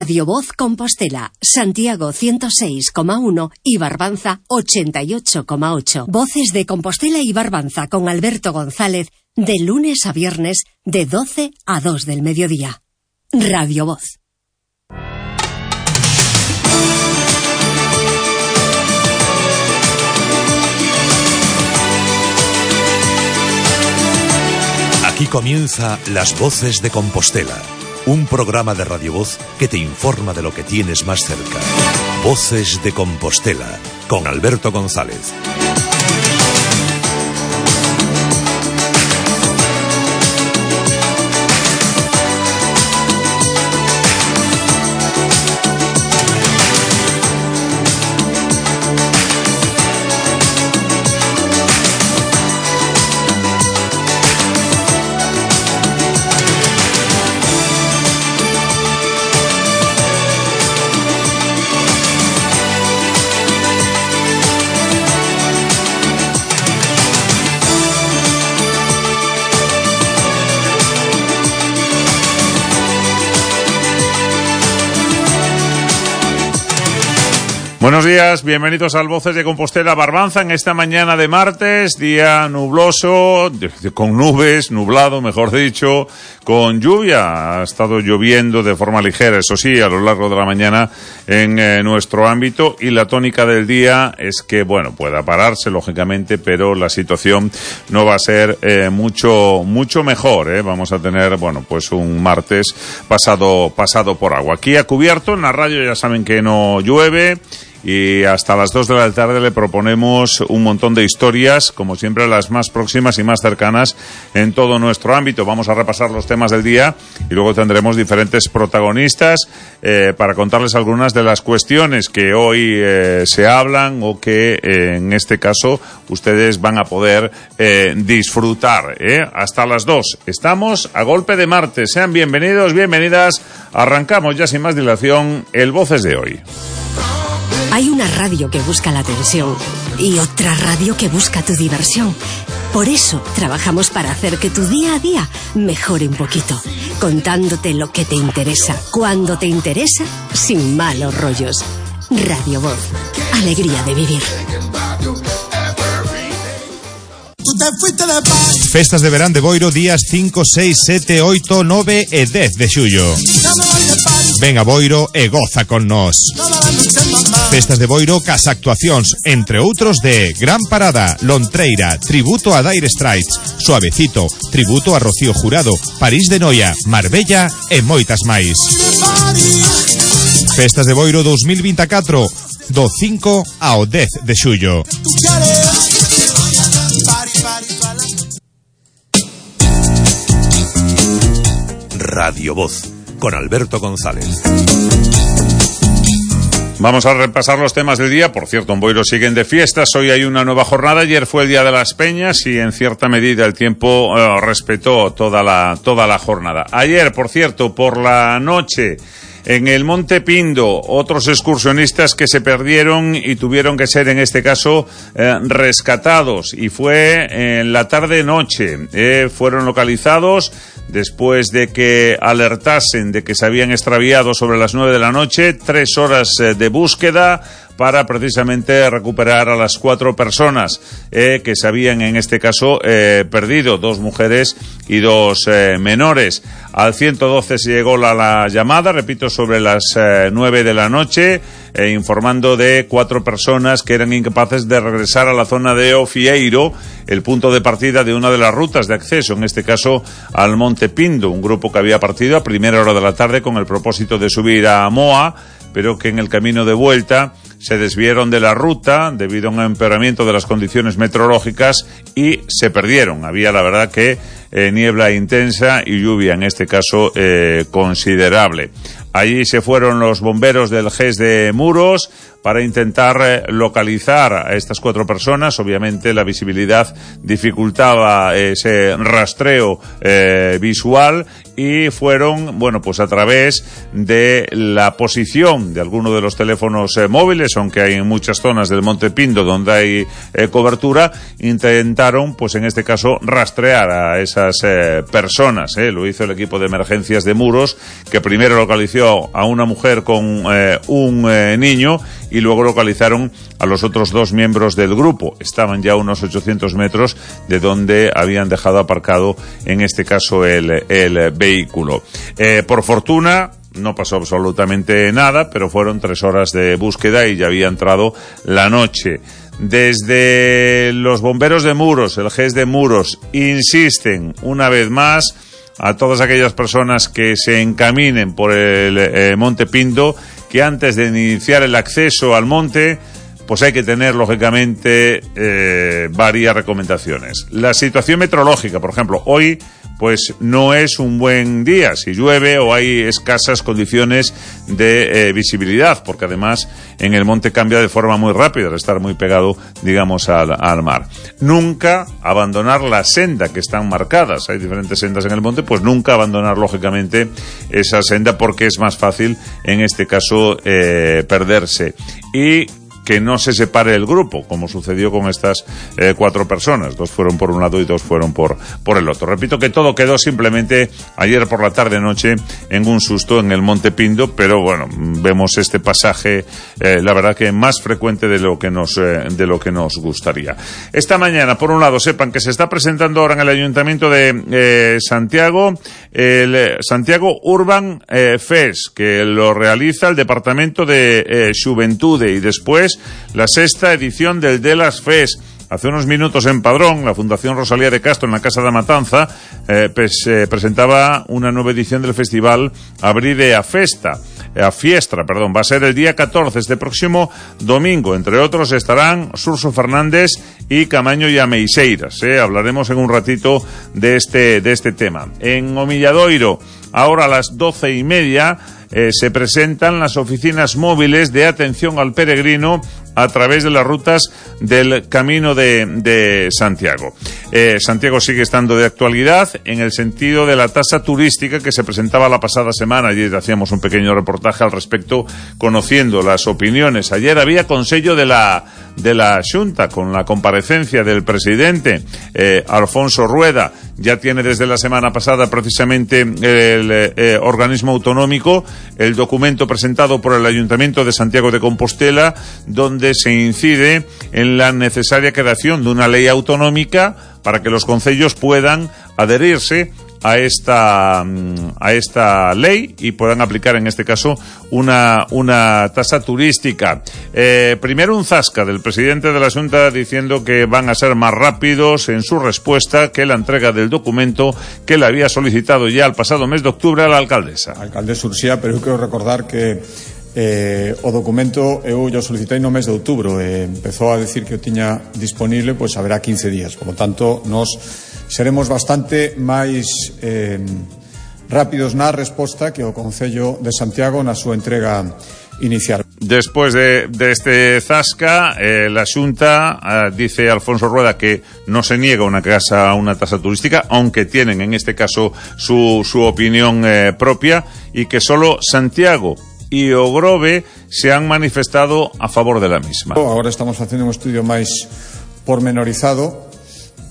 Radio Voz Compostela, Santiago 106,1 y Barbanza 88,8. Voces de Compostela y Barbanza con Alberto González, de lunes a viernes, de 12 a 2 del mediodía. Radio Voz. Aquí comienza Las Voces de Compostela, un programa de Radio Voz que te informa de lo que tienes más cerca. Voces de Compostela, con Alberto González. Buenos días, bienvenidos al Voces de Compostela Barbanza en esta mañana de martes, día nubloso, con nubes, nublado mejor dicho, con lluvia. Ha estado lloviendo de forma ligera, eso sí, a lo largo de la mañana en nuestro ámbito, y la tónica del día es que, bueno, pueda pararse lógicamente, pero la situación no va a ser mucho mejor, Vamos a tener, bueno, pues un martes pasado por agua. Aquí a cubierto, en la radio ya saben que no llueve. Y hasta las 2 de la tarde le proponemos un montón de historias, como siempre las más próximas y más cercanas en todo nuestro ámbito. Vamos a repasar los temas del día y luego tendremos diferentes protagonistas para contarles algunas de las cuestiones que hoy se hablan o que en este caso ustedes van a poder disfrutar. Hasta las 2. Estamos a golpe de martes. Sean bienvenidos, bienvenidas. Arrancamos ya sin más dilación el Voces de hoy. Hay una radio que busca la atención y otra radio que busca tu diversión. Por eso trabajamos para hacer que tu día a día mejore un poquito, contándote lo que te interesa, cuando te interesa, sin malos rollos. Radio Voz, alegría de vivir. Festas de verán de Boiro días 5, 6, 7, 8, 9 e 10 de xullo. Ven a Boiro e goza con nós. Festas de Boiro cas actuacións, entre outros de Gran Parada, Lontreira, tributo a Dire Straits, Suavecito, tributo a Rocío Jurado, París de Noia, Marbella e moitas máis. Festas de Boiro 2024, do 5 ao 10 de xullo. Radio Voz, con Alberto González. Vamos a repasar los temas del día. Por cierto, en Boiro siguen de fiestas. Hoy hay una nueva jornada. Ayer fue el Día de las Peñas y en cierta medida el tiempo respetó toda la jornada. Ayer, por cierto, por la noche, en el Monte Pindo, otros excursionistas que se perdieron y tuvieron que ser, en este caso, rescatados. Y fue en la tarde-noche. Fueron localizados después de que alertasen de que se habían extraviado sobre las 9 de la noche. 3 horas de búsqueda para precisamente recuperar a las 4 personas que se habían, en este caso, perdido, 2 mujeres y 2 menores. Al 112 se llegó la llamada, repito, sobre las 9 de la noche, informando de 4 personas que eran incapaces de regresar a la zona de Ofieiro, el punto de partida de una de las rutas de acceso, en este caso al Monte Pindo, un grupo que había partido a primera hora de la tarde con el propósito de subir a Moa, pero que en el camino de vuelta se desviaron de la ruta debido a un empeoramiento de las condiciones meteorológicas y se perdieron. Había, la verdad, que niebla intensa y lluvia, en este caso, considerable. Allí se fueron los bomberos del GES de Muros para intentar localizar a estas 4 personas. Obviamente la visibilidad dificultaba ese rastreo visual y fueron, bueno, pues a través de la posición de alguno de los teléfonos móviles, aunque hay en muchas zonas del Monte Pindo donde hay cobertura, intentaron, pues en este caso, rastrear a esas personas. Lo hizo el equipo de emergencias de Muros, que primero localizó primero a una mujer con un niño y luego localizaron a los otros 2 miembros del grupo. Estaban ya a unos 800 metros de donde habían dejado aparcado, en este caso, el vehículo. Por fortuna, no pasó absolutamente nada, pero fueron 3 horas de búsqueda y ya había entrado la noche. Desde los bomberos de Muros, el GES de Muros, insisten una vez más a todas aquellas personas que se encaminen por el Monte Pindo, que antes de iniciar el acceso al monte, pues hay que tener, lógicamente, varias recomendaciones. La situación meteorológica, por ejemplo, hoy pues no es un buen día, si llueve o hay escasas condiciones de visibilidad, porque además en el monte cambia de forma muy rápida, al estar muy pegado, digamos, al mar. Nunca abandonar la senda que están marcadas, hay diferentes sendas en el monte, pues nunca abandonar, lógicamente, esa senda, porque es más fácil, en este caso, perderse. Y que no se separe el grupo, como sucedió con estas 4 personas. 2 fueron por un lado y 2 fueron por el otro. Repito que todo quedó simplemente ayer por la tarde-noche en un susto en el Monte Pindo, pero bueno, vemos este pasaje, la verdad que más frecuente de lo que nos gustaría. Esta mañana, por un lado, sepan que se está presentando ahora en el Ayuntamiento de Santiago el Santiago Urban Fest, que lo realiza el Departamento de Xuventude, y después la 6ª edición del Delas Fest. Hace unos minutos en Padrón, la Fundación Rosalía de Castro, en la Casa da Matanza, presentaba una nueva edición del festival Abride a Fiestra, va a ser el día 14, este próximo domingo. Entre otros estarán Surso Fernández y Camaño y Ameixeiras. Hablaremos en un ratito de este tema. En Omilladoiro, ahora a las 12:30, se presentan las oficinas móviles de atención al peregrino a través de las rutas del Camino de Santiago. Santiago sigue estando de actualidad en el sentido de la tasa turística que se presentaba la pasada semana. Ayer hacíamos un pequeño reportaje al respecto, conociendo las opiniones. Ayer había Consello de la Xunta, con la comparecencia del presidente Alfonso Rueda. Ya tiene desde la semana pasada precisamente el organismo autonómico el documento presentado por el Ayuntamiento de Santiago de Compostela, donde se incide en la necesaria creación de una ley autonómica para que los concellos puedan adherirse a esta ley y puedan aplicar, en este caso, una tasa turística. Primero un zasca del presidente de la Xunta diciendo que van a ser más rápidos en su respuesta que la entrega del documento que le había solicitado ya el pasado mes de octubre a la alcaldesa. A alcaldesa Ursía, pero eu quero recordar que o documento eu yo solicitei no mes de outubro, empezou a decir que o tiña disponible, pois haberá 15 días, por lo tanto nos seremos bastante máis rápidos na resposta que o Concello de Santiago na súa entrega inicial. Después de este zasca, la Xunta dice Alfonso Rueda que no se niega una tasa turística, aunque tienen en este caso su opinión propia, y que solo Santiago y Ogrove se han manifestado a favor de la misma. Ahora estamos haciendo un estudio máis pormenorizado,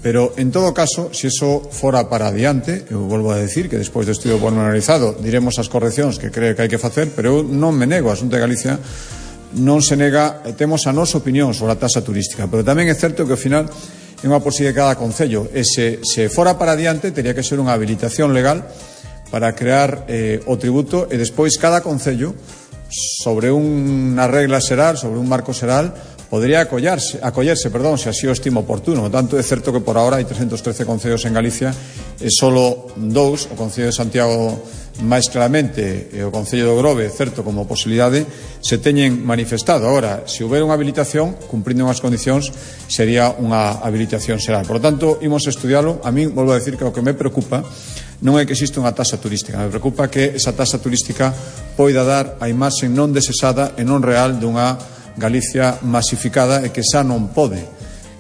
pero en todo caso, se eso fora para adiante, eu volvo a decir que despois do estudio pormenorizado diremos as correccións que creo que hai que facer, pero eu non me nego, a Xunta de Galicia non se nega, temos a nosa opinión sobre a tasa turística, pero tamén é certo que ao final é unha posibilidade de cada concello, e se fora para adiante teria que ser unha habilitación legal para crear o tributo, e despois cada concello, sobre unha regla xeral, sobre un marco xeral, podría acollerse, se así o estima oportuno. Por tanto, é certo que por ahora hai 313 concellos en Galicia e solo 2, o Concello de Santiago máis claramente e o Concello de Ogrove, certo, como posibilidade, se teñen manifestado. Agora, se houbera unha habilitación, cumprindo unhas condicións, sería unha habilitación xeral. Por tanto, imos estudialo. A mí, volvo a decir que o que me preocupa non é que existe unha tasa turística, me preocupa que esa tasa turística poida dar a imaxe non desexada e non real dunha Galicia masificada e que xa non pode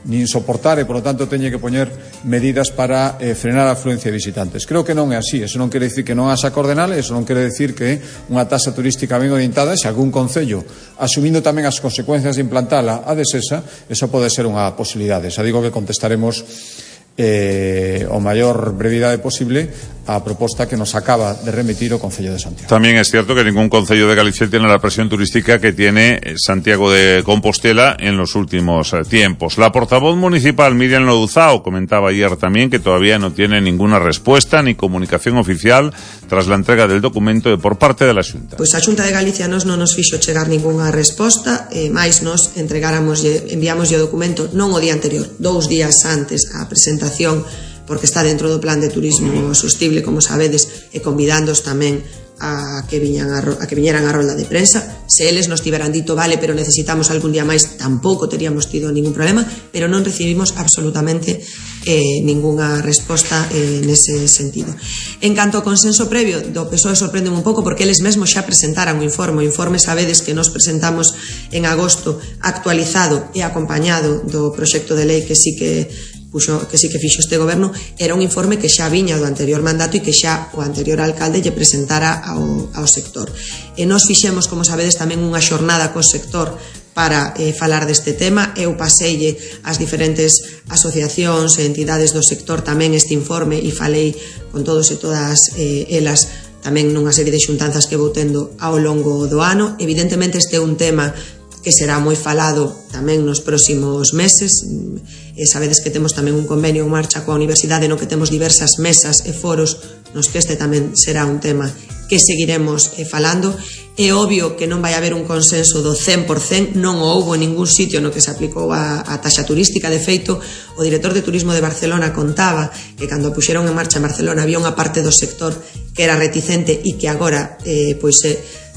nin soportar, e por lo tanto teñe que poñer medidas para frenar a afluencia de visitantes. Creo que non é así. Eso non quere dicir que non haxa coordenales, eso non quere dicir que unha tasa turística ben orientada, se algún concello asumindo tamén as consecuencias de implantala a desesa, esa pode ser unha posibilidade. Xa digo que contestaremos o maior brevidade posible a proposta que nos acaba de remitir o Concello de Santiago. También es cierto que ningún concello de Galicia tiene la presión turística que tiene Santiago de Compostela en los últimos tiempos. La portavoz municipal Miriam Louzao comentaba ayer también que todavía no tiene ninguna respuesta ni comunicación oficial tras la entrega del documento por parte de la Xunta. Pois a Xunta de Galicia non nos fixo chegar ningunha resposta, máis nos enviamos o documento non o día anterior, 2 días antes a presentación, porque está dentro do plan de turismo sostible, como sabedes, e convidándos tamén a que viñeran a rolda de prensa. Se eles nos tiveran dito, vale, pero necesitamos algún día máis, tampouco teríamos tido ningún problema, pero non recibimos absolutamente ningunha resposta nese sentido. En canto ao consenso previo do PSOE, sorprende un pouco porque eles mesmos xa presentaran o informe sabedes que nos presentamos en agosto actualizado e acompañado do proxecto de lei que sí que fixo este goberno. Era un informe que xa viña do anterior mandato e que xa o anterior alcalde lle presentara ao sector. E nos fixemos, como sabedes, tamén unha xornada co sector para falar deste tema. Eu paseille as diferentes asociacións e entidades do sector tamén este informe e falei con todos e todas elas tamén nunha serie de xuntanzas que vou tendo ao longo do ano. Evidentemente este é un tema que será moi falado tamén nos próximos meses. Sabedes que temos tamén un convenio en marcha coa Universidade no que temos diversas mesas e foros nos que este tamén será un tema que seguiremos falando. É obvio que non vai haber un consenso do 100%, non o houbo en ningún sitio no que se aplicou a taxa turística. De feito, o director de turismo de Barcelona contaba que cando puxeron en marcha en Barcelona había unha parte do sector que era reticente e que agora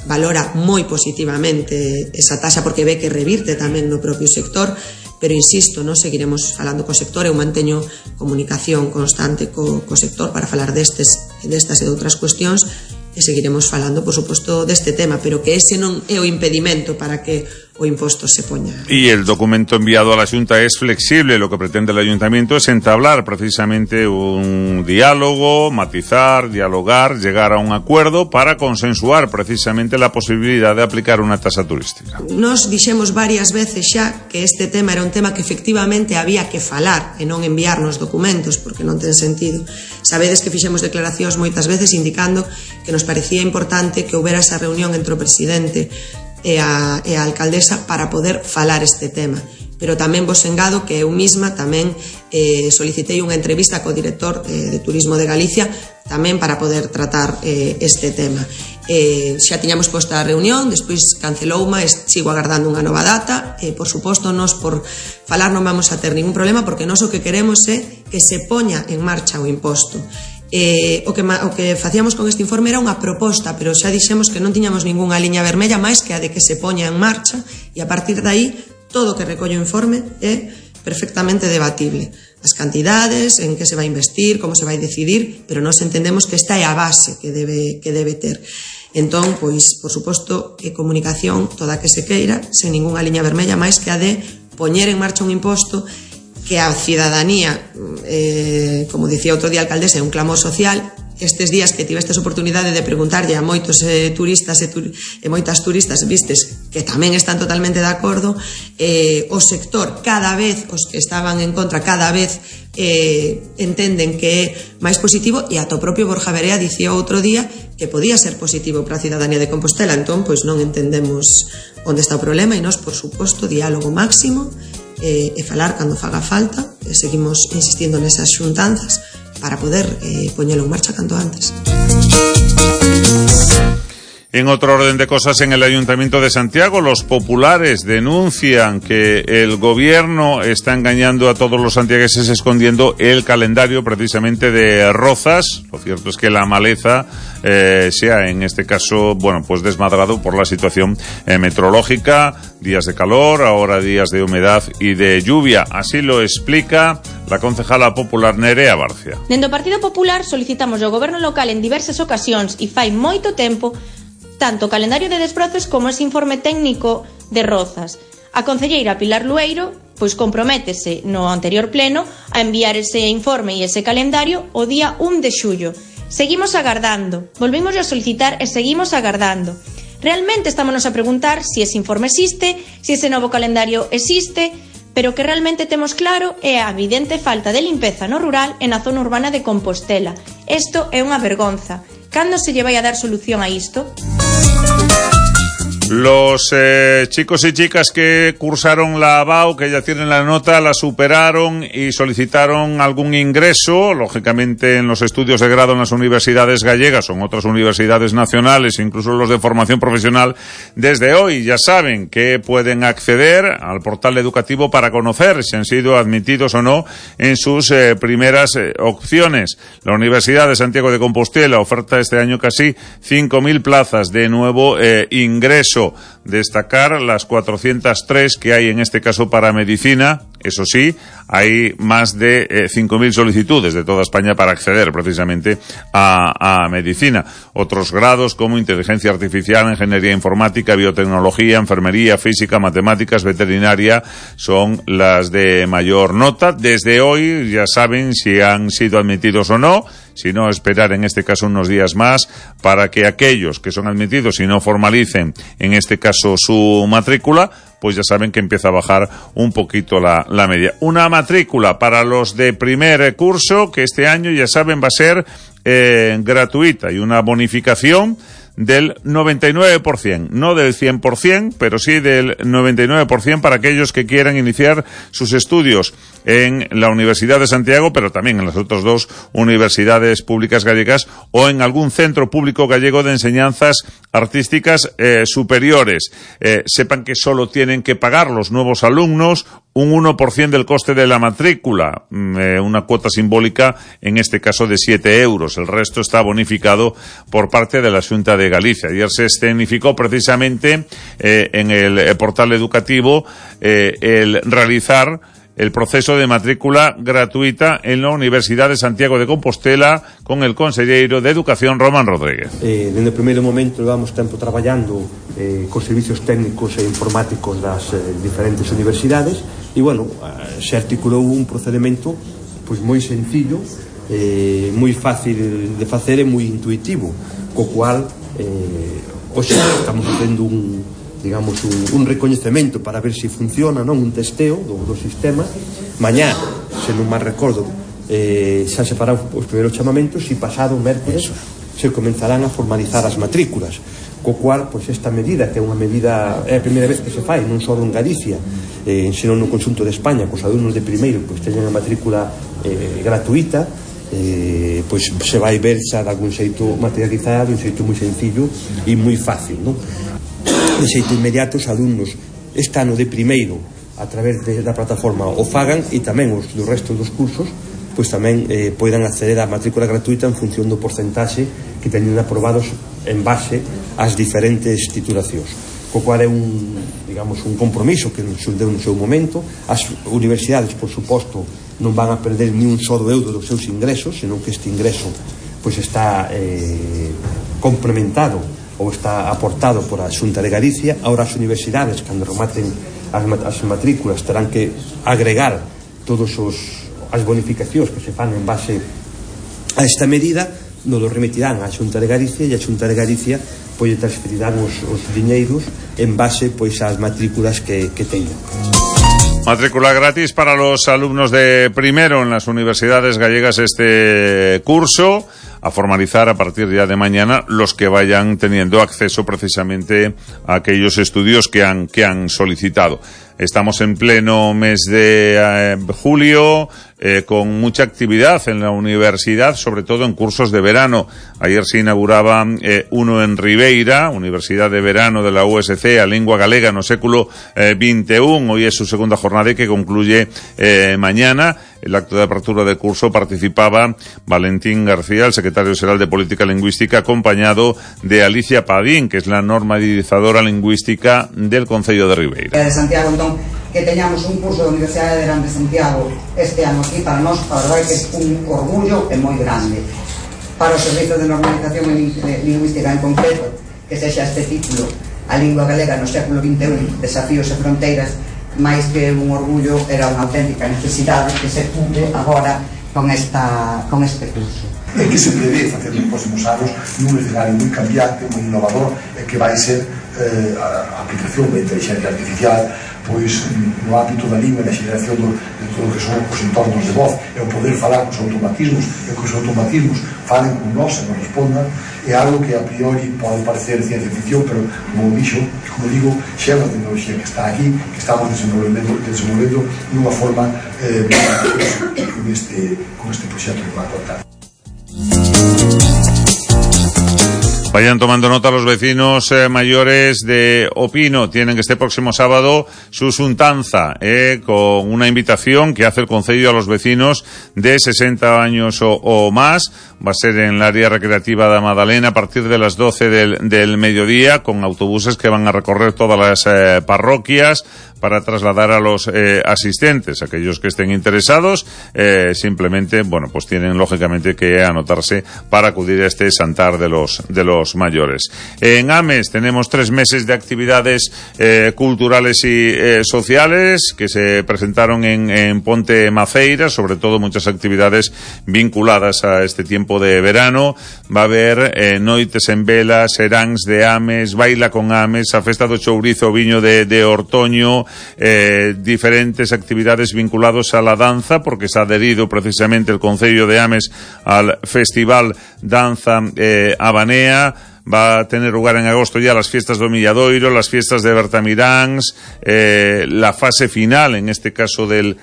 valora moi positivamente esa taxa porque ve que revirte tamén no propio sector. Pero insisto, nos seguiremos falando co sector. Eu manteño comunicación constante co sector para falar destas e de outras cuestións e seguiremos falando, por suposto, deste tema, pero que ese non é o impedimento para que o imposto se poña. Y el documento enviado a la Xunta es flexible. Lo que pretende el Ayuntamiento es entablar precisamente un diálogo, matizar, dialogar, llegar a un acuerdo para consensuar precisamente la posibilidad de aplicar una tasa turística. Nos dixemos varias veces xa que este tema era un tema que efectivamente había que falar e non enviarnos documentos, porque non ten sentido. Sabedes que fixemos declaracións moitas veces indicando que nos parecía importante que houbera esa reunión entre o presidente e a alcaldesa para poder falar este tema. Pero tamén vos engado que eu mesma tamén solicitei unha entrevista co director de Turismo de Galicia tamén para poder tratar este tema. Xa tiñamos posta a reunión, despois cancelouma, sigo agardando unha nova data. Por suposto, nos por falar non vamos a ter ningún problema, porque nós o que queremos é que se poña en marcha o imposto. O que facíamos con este informe era unha proposta, pero xa dixemos que non tiñamos ningunha liña vermella máis que a de que se poña en marcha, e a partir de aí todo o que recolle o informe é perfectamente debatible. As cantidades, en que se vai investir, como se vai decidir, pero nós entendemos que esta é a base que debe ter. Entón, pois, por suposto, comunicación toda que se queira, sen ningunha liña vermella máis que a de poñer en marcha un imposto que a cidadanía, como dicía outro día a alcaldesa, é un clamor social. Estes días que tivestes oportunidade de preguntarlle a moitos turistas e moitas turistas, vistes que tamén están totalmente de acordo. O sector, cada vez, os que estaban en contra, cada vez entenden que é máis positivo, e ata o propio Borja Verea dicía outro día que podía ser positivo para a cidadanía de Compostela. Entón, pois non entendemos onde está o problema, e nós, por suposto, diálogo máximo e falar cando faga falta. Seguimos insistindo nesas xuntanzas para poder poñelo en marcha canto antes. En otro orden de cosas, en el Ayuntamiento de Santiago, los populares denuncian que el gobierno está engañando a todos los santiagueses escondiendo el calendario precisamente de Rozas. Lo cierto es que la maleza se ha, en este caso, bueno, pues desmadrado por la situación meteorológica, días de calor, ahora días de humedad y de lluvia. Así lo explica la concejala popular Nerea Barcia. Dende o Partido Popular solicitamos ao goberno local en diversas ocasións e fai moito tempo tanto o calendario de desbrozos como ese informe técnico de Rozas. A concelleira Pilar Lueiro pois comprométese no anterior pleno a enviar ese informe e ese calendario o día 1 de xullo. Seguimos agardando, volvimos a solicitar e seguimos agardando. Realmente estámonos a preguntar si ese informe existe, si ese novo calendario existe, pero que realmente temos claro é a evidente falta de limpeza no rural e na zona urbana de Compostela. Isto é unha vergonza. Cando se lle vai a dar solución a isto? Los chicos y chicas que cursaron la ABAU, que ya tienen la nota, la superaron y solicitaron algún ingreso, lógicamente en los estudios de grado en las universidades gallegas o en otras universidades nacionales, incluso los de formación profesional, desde hoy ya saben que pueden acceder al portal educativo para conocer si han sido admitidos o no en sus primeras opciones. La Universidad de Santiago de Compostela oferta este año casi 5.000 plazas de nuevo ingreso. Destacar las 403 que hay en este caso para medicina. Eso sí, hay más de 5.000 solicitudes de toda España para acceder precisamente a medicina. Otros grados como inteligencia artificial, ingeniería informática, biotecnología, enfermería, física, matemáticas, veterinaria son las de mayor nota. Desde hoy ya saben si han sido admitidos o no. Si no, esperar en este caso unos días más para que aquellos que son admitidos y no formalicen en este caso su matrícula, pues ya saben que empieza a bajar un poquito la media. Una matrícula para los de primer curso que este año ya saben va a ser gratuita y una bonificación del 99%, no del 100%, pero sí del 99% para aquellos que quieran iniciar sus estudios en la Universidad de Santiago, pero también en las otras dos universidades públicas gallegas o en algún centro público gallego de enseñanzas artísticas superiores. Sepan que solo tienen que pagar los nuevos alumnos un 1% del coste de la matrícula, una cuota simbólica en este caso de 7 euros. El resto está bonificado por parte de la Xunta de Galicia. Ayer se escenificó precisamente en el portal educativo el realizar el proceso de matrícula gratuita en la Universidad de Santiago de Compostela con el conselleiro de Educación, Román Rodríguez. Desde o primeiro momento levamos tempo traballando cos servicios técnicos e informáticos das diferentes universidades e, bueno, se articulou un procedimento pois moi sencillo, moi fácil de facer e moi intuitivo, co cual hoxe estamos facendo un recoñecemento para ver se funciona, non, un testeo do sistema. Mañá, se non máis recordo, xa se farán os primeiros chamamentos e pasado o mércores se comenzarán a formalizar as matrículas, co cual, pois, esta medida, que é unha medida, é a primeira vez que se fai, non só en Galicia, senón no conxunto de España, cos alumnos de primeiro, pois, teñen a matrícula gratuita, pois se vai ver xa de algún xeito materializado, un xeito moi sencillo e moi fácil, non? De xeito inmediato os alumnos este ano de primeiro a través da plataforma o fagan e tamén os do resto dos cursos pois tamén poidan acceder á matrícula gratuita en función do porcentaxe que teñen aprobados en base ás diferentes titulacións, co cual é un compromiso que nos deu no seu momento. As universidades, por suposto, non van a perder ni un só euro dos seus ingresos, senón que este ingreso pois está complementado ou está aportado por a Xunta de Galicia. Ahora as universidades, cando rematen as matrículas, terán que agregar todos as bonificacións que se fan en base a esta medida, nos lo remitirán á Xunta de Galicia e a Xunta de Galicia pois transferirán os diñeiros en base pois ás matrículas que teñan. Matrícula gratis para los alumnos de primero en las universidades gallegas este curso, a formalizar a partir ya de mañana los que vayan teniendo acceso precisamente a aquellos estudios que han solicitado. Estamos en pleno mes de julio, con mucha actividad en la universidad, sobre todo en cursos de verano. Ayer se inauguraba uno en Ribeira, Universidad de Verano de la USC, a Lingua Galega no século XXI. Hoy es su segunda jornada y que concluye mañana. El acto de apertura de curso participaba Valentín García, el secretario general de Política Lingüística, acompañado de Alicia Padín, que es la normalizadora lingüística del Concello de Ribeira. De Santiago, entón, que teñamos un curso da Universidade de Verán de Santiago este ano aquí, para nós, para verdade, que é un orgullo e moi grande. Para o Servizo de Normalización Lingüística en concreto, que sexa este título, a lingua galega no século XXI, desafíos e fronteiras, máis que un orgullo, era unha auténtica necesidade que se cumpre agora con este curso. E que se prevé facer nos próximos anos nun escenario moi cambiante, moi innovador, e que vai ser a aplicación da inteligencia artificial, pois no ámbito da lingua e da xeración de todo o que son os entornos de voz e o poder falar cos automatismos e que os automatismos falen con nós e nos respondan, é algo que a priori pode parecer ciencia ficción, pero como digo, xa é unha tecnoloxía que está aquí, que estamos desenvolvendo nunha forma con este proxecto que va a contar. Vayan tomando nota los vecinos mayores de Opino. Tienen este próximo sábado su xuntanza con una invitación que hace el Concello a los vecinos de 60 años o más. Va a ser en el área recreativa de Madalena a partir de las 12 del mediodía, con autobuses que van a recorrer todas las parroquias para trasladar a los asistentes. Aquellos que estén interesados simplemente, pues tienen lógicamente que anotarse para acudir a este Santar de los mayores. En Ames tenemos 3 meses de actividades culturales y sociales que se presentaron en Ponte Maceira, sobre todo muchas actividades vinculadas a este tiempo de verano. Va a haber noites en vela, seráns de Ames, baila con Ames, a festa do chourizo viño de Ortoño, diferentes actividades vinculadas a la danza, porque se ha adherido precisamente el Concello de Ames al Festival Danza Habanea. Va a tener lugar en agosto ya las fiestas do Milladoiro, las fiestas de Bertamiráns, la fase final, en este caso del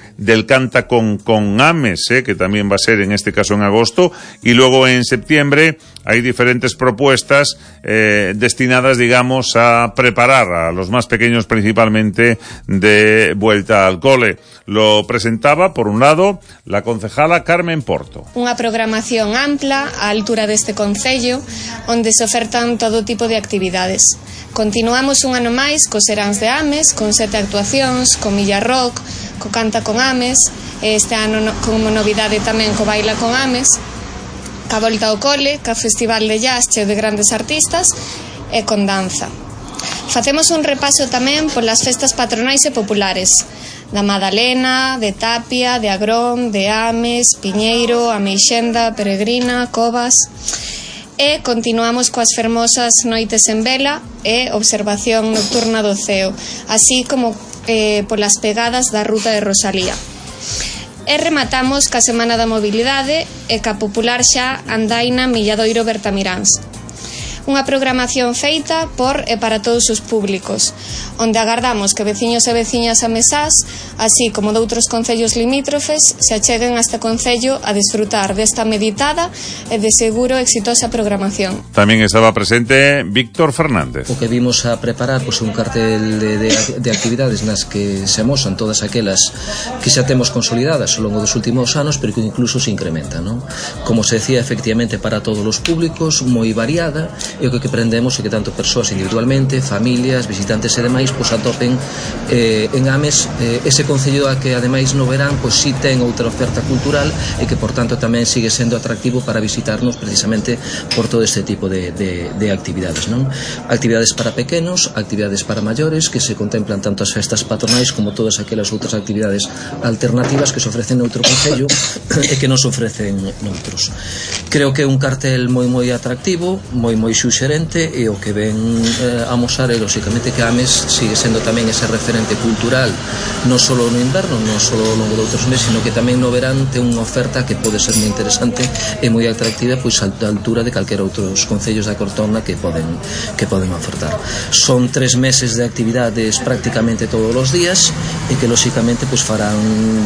Canta con Ames, que también va a ser en este caso en agosto, y luego en septiembre hay diferentes propuestas destinadas, digamos, a preparar a los más pequeños principalmente de vuelta al cole. Lo presentaba, por un lado, la concejala Carmen Porto. Unha programación ampla á altura deste concello, onde se ofertan todo tipo de actividades. Continuamos un ano máis cos seráns de Ames, con 7 actuacións, con Milla Rock, co Canta con Ames, este ano como novidade tamén co Baila con Ames, ca volta ao cole, ca Festival de Jazz cheo de grandes artistas e con danza. Facemos un repaso tamén polas festas patronais e populares da Madalena, de Tapia, de Agrón, de Ames, Piñeiro, Ameixenda, Peregrina, Covas. E continuamos coas fermosas noites en vela e observación nocturna do ceo, así como polas pegadas da Ruta de Rosalía. E rematamos ca Semana da Mobilidade e ca popular xa andaina Milladoiro Bertamiráns. Unha programación feita por e para todos os públicos, onde agardamos que veciños e veciñas amesás, así como de outros concellos limítrofes, se acheguen a este concello a disfrutar desta meditada e de seguro exitosa programación. Tamén estaba presente Víctor Fernández. O que vimos a preparar un cartel de actividades nas que se amosan todas aquelas que xa temos consolidadas ao longo dos últimos anos, pero que incluso se incrementan, non? Como se decía, efectivamente para todos os públicos, moi variada, e o que aprendemos é que tanto persoas individualmente, familias, visitantes e demais, atopen en Ames ese concello a que ademais no verán si ten outra oferta cultural e que por tanto tamén sigue sendo atractivo para visitarnos precisamente por todo este tipo de actividades, non? Actividades para pequenos, actividades para maiores, que se contemplan tanto as festas patronais como todas aquelas outras actividades alternativas que se ofrecen noutro concello e que non se ofrecen noutros. Creo que é un cartel moi atractivo, moi suxerente, e o que ven a mostrar é lóxicamente que Ames sigue sendo tamén ese referente cultural non só no inverno, non só ao longo de outros meses, sino que tamén no verán ten unha oferta que pode ser moi interesante e moi atractiva a altura de calquera outros concellos da Cortona que poden ofertar. Son 3 meses de actividades prácticamente todos os días e que lóxicamente farán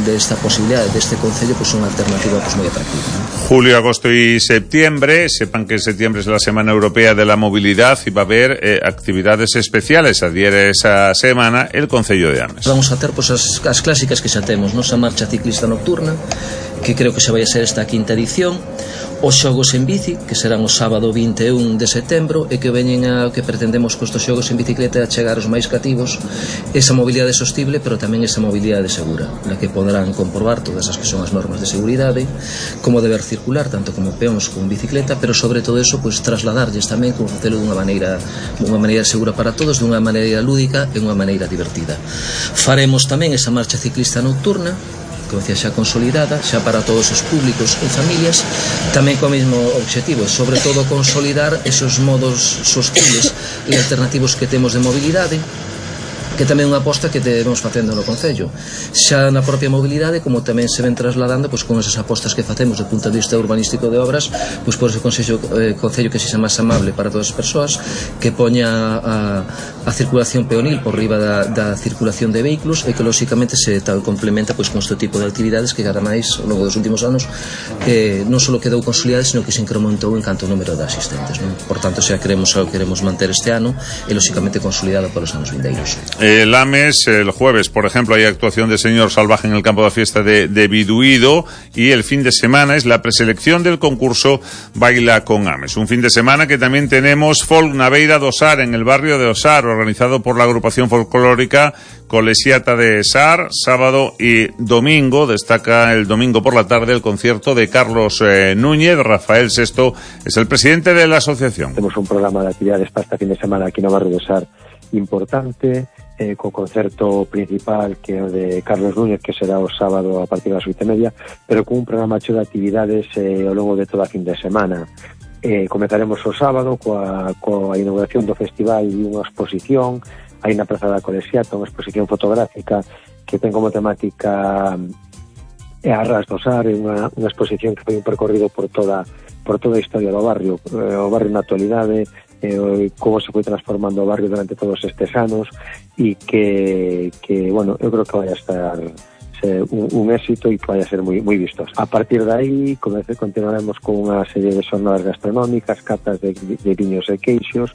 desta posibilidade deste concello unha alternativa moi atractiva, ¿no? Julio, agosto y septiembre, sepan que en septiembre es la Semana Europea de la Movilidad y va a haber actividades especiales. Adhiere esa semana el Concello de Ames. Vamos a ter as clásicas que xa temos, a marcha ciclista nocturna, que creo que xa vai a ser esta 5ª edición, os xogos en bici, que serán o sábado 21 de setembro, e que veñen que pretendemos con estos xogos en bicicleta a chegar aos máis cativos esa mobilidade sostible, pero tamén esa mobilidade segura, na que poderán comprobar todas as que son as normas de seguridade, como deber circular, tanto como peóns con bicicleta, pero sobre todo eso, trasladarlles tamén como facelo dunha maneira segura para todos, dunha maneira lúdica e unha maneira divertida. Faremos tamén esa marcha ciclista nocturna, como decía, xa consolidada, xa para todos os públicos e familias, tamén co mesmo obxectivo, sobre todo consolidar esos modos sostibles e alternativos que temos de mobilidade, que que tamén é unha aposta que debemos facendo no Concello, xa na propia mobilidade, como tamén se ven trasladando pois, con esas apostas que facemos do punto de vista urbanístico de obras, pois por ese Concello que sexa máis amable para todas as persoas, que poña a circulación peonil por riba da circulación de vehículos e que lóxicamente se tal complementa pois, con este tipo de actividades que cada máis ao longo dos últimos anos non só quedou consolidada, sino que se incrementou en canto ao número de asistentes, non? Por tanto, xa queremos manter este ano e lóxicamente consolidado para os anos vindeiros. El AMES, el jueves, por ejemplo, hay actuación de Señor Salvaje en el campo de fiesta de Biduído, y el fin de semana es la preselección del concurso Baila con AMES. Un fin de semana que también tenemos Folk Naveira do Sar en el barrio de Osar, organizado por la agrupación folclórica Colesiata de Sar, sábado y domingo. Destaca el domingo por la tarde el concierto de Carlos Núñez. Rafael Sesto es el presidente de la asociación. Tenemos un programa de actividades para este fin de semana aquí en el barrio de Sar importante, co concerto principal que é o de Carlos Núñez, que será o sábado a partir das 8:30, pero con un programa cheo de actividades ao longo de toda a fin de semana. Comezaremos o sábado coa inauguración do festival e unha exposición aí na Praza da Colesiata, unha exposición fotográfica que ten como temática Arras do Sar, unha exposición que foi un percorrido por toda a historia do barrio, o barrio na actualidade, como se foi transformando o barrio durante todos estes anos, e que bueno, eu creo que vai a estar un éxito e que vai a ser moi vistos. A partir de aí continuaremos con unha serie de xornadas gastronómicas, catas de viños e queixos,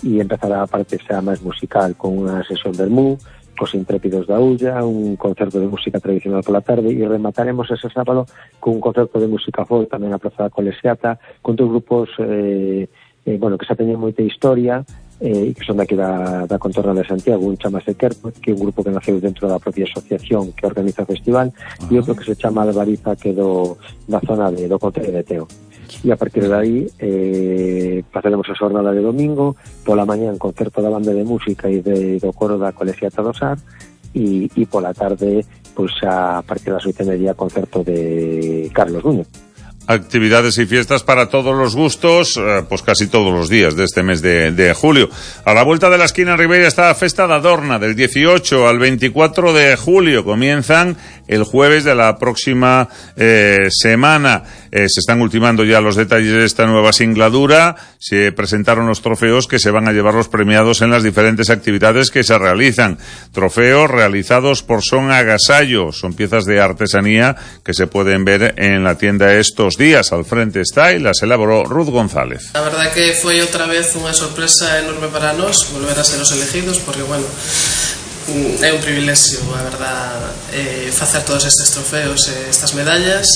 e empezará a parte xa máis musical con unha sesión vermú, cos intrépidos da Ulla, un concerto de música tradicional pola tarde, e remataremos ese sábado con un concerto de música folk tamén a Praza da Colesiata, con dos grupos que xa teñen moita historia e que son daqui da contorna de Santiago. Un chamase Kerpo, que é un grupo que naceu dentro da propia asociación que organiza o festival, e outro que se chama Albariza, que é da zona do Concello de Teo. E a partir de aí pasaremos a xornada de domingo, pola mañán concerto da banda de música e do coro da Colesiata do Sar, e pola tarde, pois a partir das 8:30, concerto de Carlos Núñez. Actividades y fiestas para todos los gustos, pues casi todos los días de este mes de julio. A la vuelta de la esquina en Ribeira está la Festa da Adorna, del 18 al 24 de julio. Comienzan el jueves de la próxima semana. Se están ultimando ya los detalles de esta nueva singladura. Se presentaron los trofeos que se van a llevar los premiados en las diferentes actividades que se realizan. Trofeos realizados por Son Agasallo. Son piezas de artesanía que se pueden ver en la tienda estos días. Al frente está y las elaboró Ruth González. La verdad que foi outra vez unha sorpresa enorme para nós volver a ser os elegidos, porque, bueno, é un privilexio, a verdad, facer todos estes trofeos e estas medallas.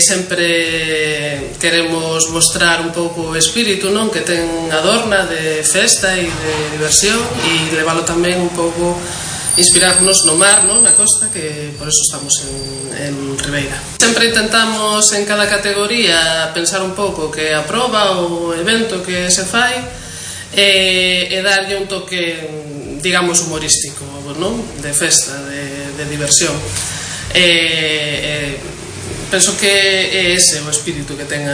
Sempre queremos mostrar un pouco o espírito, non, que ten Adorna de festa e de diversión, e leválo tamén un pouco, inspirarnos no mar, non, na costa, que por eso estamos en Ribeira. Sempre intentamos en cada categoría pensar un pouco que a proba ou evento que se fai e darlle un toque, digamos, humorístico, non, de festa, de diversión. Penso que é ese o espírito que ten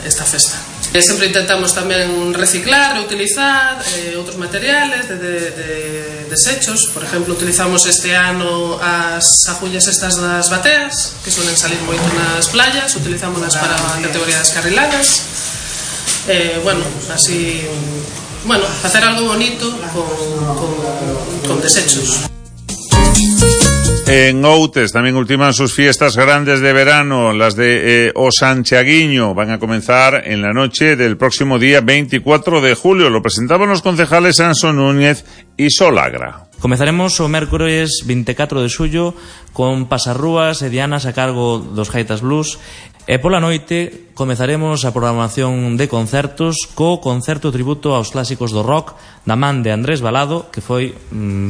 esta festa. Sempre intentamos tamén reciclar e utilizar outros materiales de desechos. Por exemplo, utilizamos este ano as agullas estas das bateas, que suelen salir moito nas playas, utilizámolas para a categoría das carriladas. Bueno, así, bueno, facer algo bonito con desechos. En Outes también ultiman sus fiestas grandes de verano, las de O Santiaguiño. Van a comenzar en la noche del próximo día 24 de julio. Lo presentaban los concejales Anson Núñez y Solagra. Comezaremos o mércores 24 de xullo con pasarrúas e dianas a cargo dos Gaitas Blues, e pola noite comezaremos a programación de concertos co concerto tributo aos clásicos do rock da man de Andrés Balado, que foi,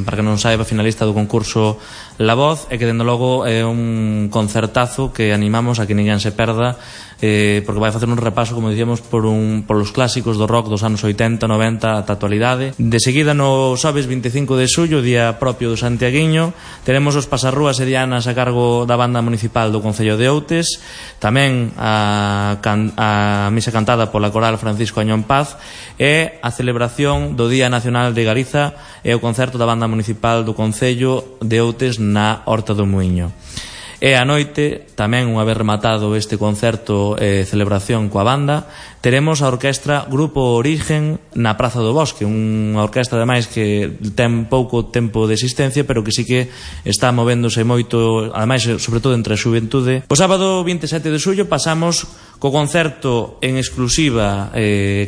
para que non saiba, finalista do concurso La Voz, e que dende logo é un concertazo que animamos a que ninguén se perda, porque vai facer un repaso, como dicíamos, polos clásicos do rock dos anos 80, 90 ata a actualidade. De seguida, no xoves 25 de xullo, día propio do Santiaguiño, teremos os pasarrúas e dianas a cargo da banda municipal do Concello de Outes. Tamén tamén a misa cantada pola coral Francisco Añón Paz e a celebración do Día Nacional de Galiza e o concerto da banda municipal do Concello de Outes na Horta do Muiño. E a noite, tamén unha vez rematado este concerto e celebración coa banda, teremos a orquestra Grupo Origen na Praza do Bosque, unha orquestra ademais que ten pouco tempo de existencia, pero que sí que está movéndose moito, ademais sobre todo entre a xuventude. O sábado 27 de xullo pasamos co concerto en exclusiva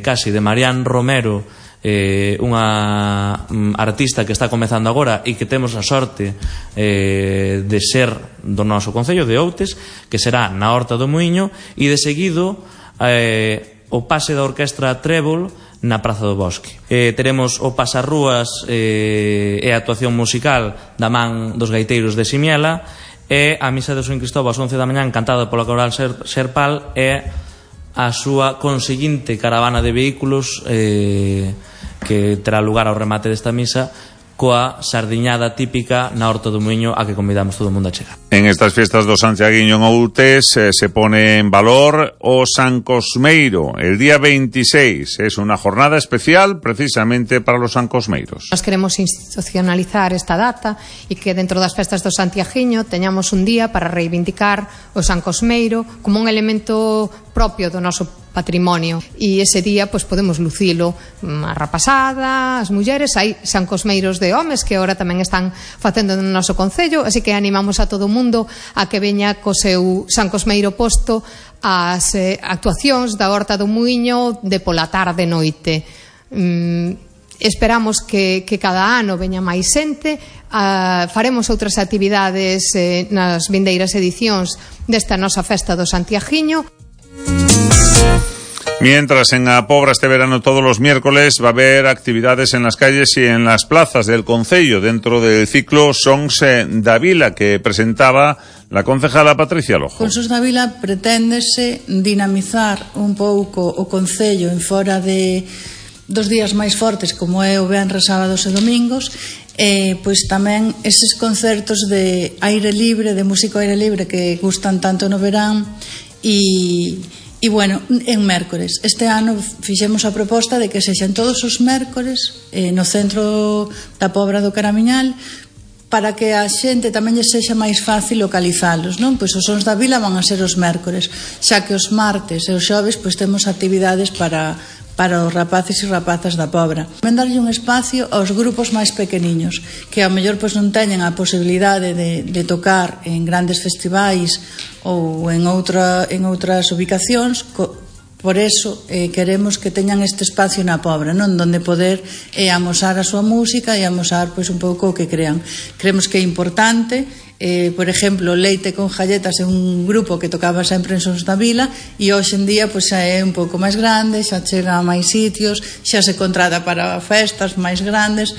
casi de Marián Romero, unha artista que está comezando agora e que temos a sorte de ser do noso concello de Outes, que será na Horta do Muiño, e de seguido o pase da orquestra Trébol na Praza do Bosque. Teremos o pasarrúas e a actuación musical da man dos gaiteiros de Simiela e a misa de San Cristóbal ás 11 da mañá cantada pola coral Serpal e a súa conseguinte caravana de vehículos que terá lugar ao remate desta misa coa sardiñada típica na Horta do Muiño a que convidamos todo o mundo a chegar. En estas fiestas do Santiaguiño en Outes se pone en valor o San Cosmeiro. El día 26 es una jornada especial precisamente para los sancosmeiros. Nos queremos institucionalizar esta data e que dentro das festas do Santiaguiño teñamos un día para reivindicar o San Cosmeiro como un elemento propio do noso patrimonio, e ese día pois podemos lucilo a rapazada, as mulleres, hai San Cosmeiros de homes que agora tamén están facendo no noso concello, así que animamos a todo o mundo a que veña co seu San Cosmeiro posto ás actuacións da Horta do Muiño de pola tarde noite. Esperamos que cada ano veña máis xente, faremos outras actividades nas vindeiras edicións desta nosa festa do Santiaguiño. Mientras en A Pobra este verano todos los miércoles va a haber actividades en las calles y en las plazas del concello dentro del ciclo Sons da Vila que presentaba la concejala Patricia Lojo. Con Sons da Vila preténdese dinamizar un pouco o concello en fora de dos días máis fortes como é o venres, sábados e domingos, pois tamén eses concertos de aire libre, de músico aire libre que gustan tanto no verán e bueno, en mércores. Este ano fixemos a proposta de que sexan todos os mércores no centro da Pobra do Caramiñal, para que a xente tamén lle sexa máis fácil localizalos, non? Pois os Sons da Vila van a ser os mércores, xa que os martes e os xoves pois temos actividades para os rapaces e rapazas da Pobra. Tamén darlle un espacio aos grupos máis pequeniños, que ao mellor pois non teñen a posibilidade de tocar en grandes festivais ou en outras ubicacións. Por eso queremos que teñan este espacio na Pobra, non, donde poder amosar a súa música e amosar pois un pouco o que crean. Creemos que é importante. Por exemplo, Leite con Galletas é un grupo que tocaba sempre en Sons da Vila e hoxe en día pois xa é un pouco máis grande, xa chega a máis sitios, xa se contrata para festas máis grandes.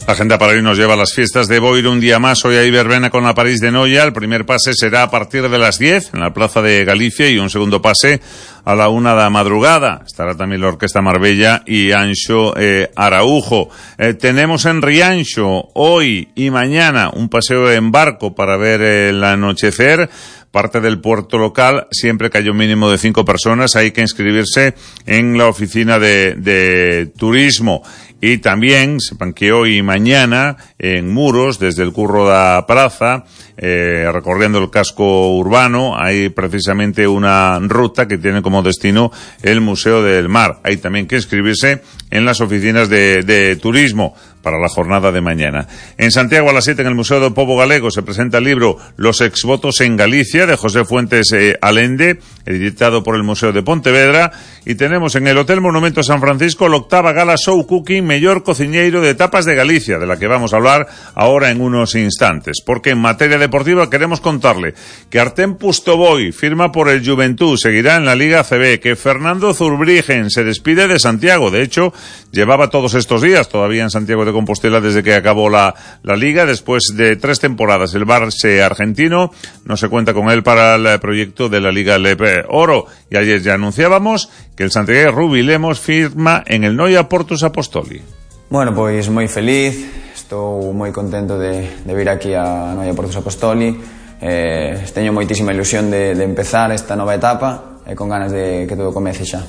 La agenda para hoy nos lleva a las fiestas de Boiro un día más. Hoy hay verbena con la París de Noia. El primer pase será a partir de las 10 en la Plaza de Galicia y un segundo pase a la 1 da madrugada. Estará también la Orquesta Marbella y Anxo Araujo. Tenemos en Rianxo hoy y mañana un paseo en barco para ver el anochecer. Parte del puerto local, siempre que haya un mínimo de 5 personas, hay que inscribirse en la oficina de turismo. Y también, sepan que hoy y mañana, en Muros, desde el Curro da Praza, recorriendo el casco urbano, hay precisamente una ruta que tiene como destino el Museo del Mar. Hay también que inscribirse en las oficinas de turismo para la jornada de mañana. En Santiago a las 7 en el Museo do Pobo Galego se presenta el libro Los exvotos en Galicia de José Fuentes Alende, editado por el Museo de Pontevedra, y tenemos en el Hotel Monumento San Francisco la 8ª Gala Show Cooking Mellor Cociñeiro de Tapas de Galicia, de la que vamos a hablar ahora en unos instantes, porque en materia deportiva queremos contarle que Artem Pustoboy firma por el Juventud, seguirá en la Liga CB, que Fernando Zurbriggen se despide de Santiago, de hecho llevaba todos estos días todavía en Santiago de Compostela desde que acabó la Liga, después de 3 temporadas el Barça argentino no se cuenta con él para el proyecto de la Liga Lepe Oro, y ayer ya anunciábamos que el Santiago Rubi Lemos firma en el Noia Portus Apostoli. Bueno, pois moi feliz, estou moi contento de vir aquí a Noia Portus Apostoli. teño moitísima ilusión de empezar esta nova etapa e con ganas de que todo comece xa.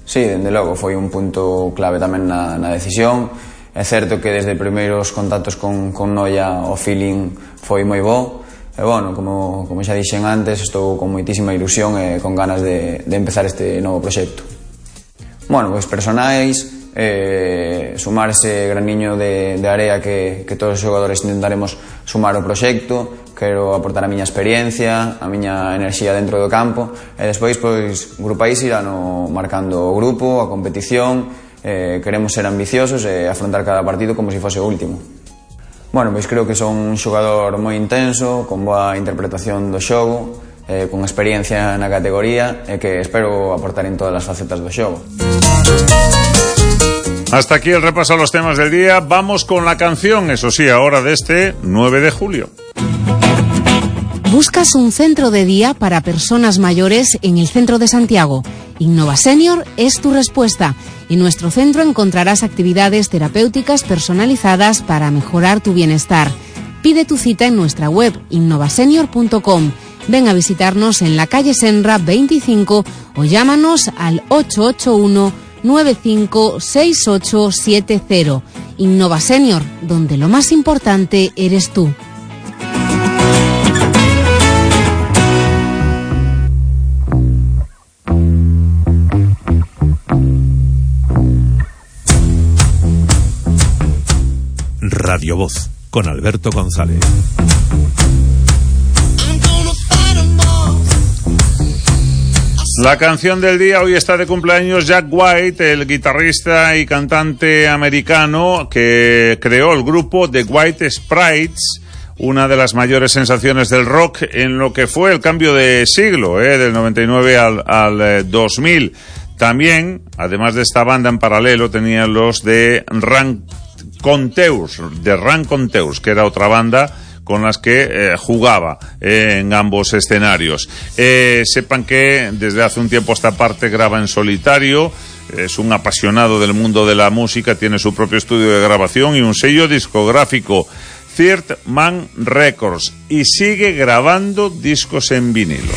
Sí, dende logo, foi un punto clave tamén na decisión. É certo que desde primeiros contactos con Noia o feeling foi moi bo. E, bueno, como xa dixen antes, estou con moitísima ilusión e con ganas de empezar este novo proxecto. Bueno, pois personais, sumar ese graniño de area que todos os xogadores intentaremos sumar ao proxecto. Quero aportar a miña experiencia, a miña enerxía dentro do campo e despois, pois, grupais irán marcando o grupo, a competición. Queremos ser ambiciosos e afrontar cada partido como se fose o último. Bueno, pois creo que son un xogador moi intenso, con boa interpretación do xogo, con experiencia na categoría e que espero aportar en todas as facetas do xogo. Hasta aquí el repaso a los temas del día. Vamos con la canción, eso sí, ahora de este 9 de julio. ¿Buscas un centro de día para personas mayores en el centro de Santiago? Innova Senior es tu respuesta. En nuestro centro encontrarás actividades terapéuticas personalizadas para mejorar tu bienestar. Pide tu cita en nuestra web innovasenior.com. Ven a visitarnos en la calle Senra 25 o llámanos al 881-956870. Innova Senior, donde lo más importante eres tú. Radio Voz, con Alberto González. La canción del día, hoy está de cumpleaños Jack White, el guitarrista y cantante americano que creó el grupo The White Sprites, una de las mayores sensaciones del rock en lo que fue el cambio de siglo, del 99 al 2000. También, además de esta banda en paralelo, tenían los de Ranconteurs, que era otra banda con las que jugaba en ambos escenarios. Sepan que desde hace un tiempo esta parte graba en solitario, es un apasionado del mundo de la música, tiene su propio estudio de grabación y un sello discográfico, Third Man Records, y sigue grabando discos en vinilo.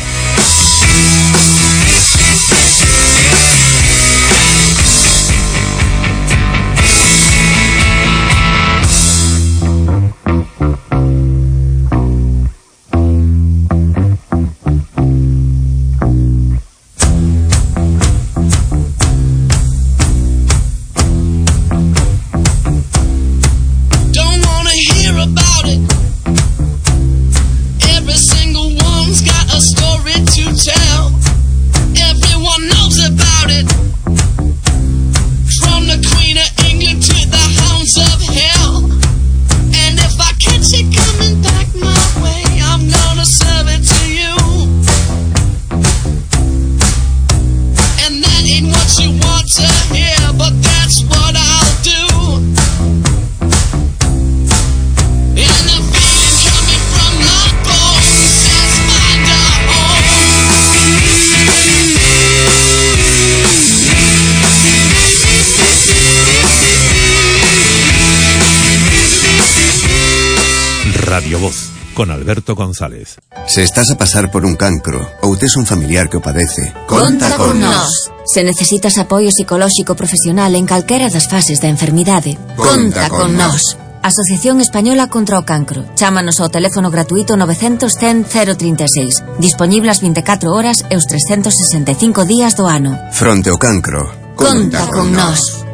Radio Voz, con Alberto González. Se estás a pasar por un cancro ou tes un familiar que o padece, conta con nós. Se necesitas apoio psicolóxico profesional en calquera das fases da enfermidade, conta con nós. Asociación Española contra o Cancro. Chámanos ao teléfono gratuito 900 100 036. Disponible as 24 horas e os 365 días do ano. Fronte ao cancro, conta con nós.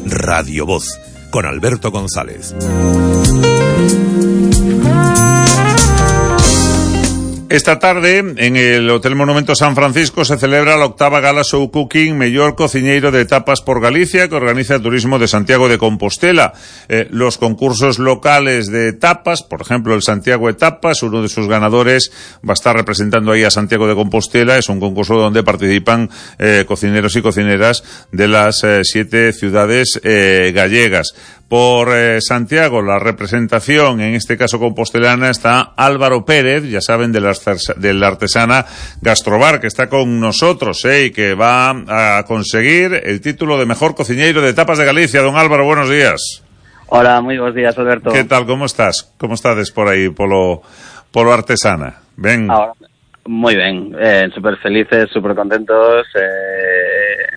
Radio Voz, con Alberto González. Esta tarde, en el Hotel Monumento San Francisco, se celebra la 8ª Gala Show Cooking Mellor Cociñeiro de Tapas por Galicia, que organiza el Turismo de Santiago de Compostela. Los concursos locales de tapas, por ejemplo, el Santiago de Tapas, uno de sus ganadores va a estar representando ahí a Santiago de Compostela. Es un concurso donde participan cocineros y cocineras de las 7 ciudades gallegas. Por Santiago, la representación, en este caso compostelana, está Álvaro Pérez, ya saben, de la artesana Gastrobar, que está con nosotros, y que va a conseguir el título de mejor cociñeiro de tapas de Galicia. Don Álvaro, buenos días. Hola, muy buenos días, Alberto. ¿Qué tal? ¿Cómo estás? ¿Cómo estades por aí, polo artesana? Ben. Ahora, moi ben, super felices, super contentos.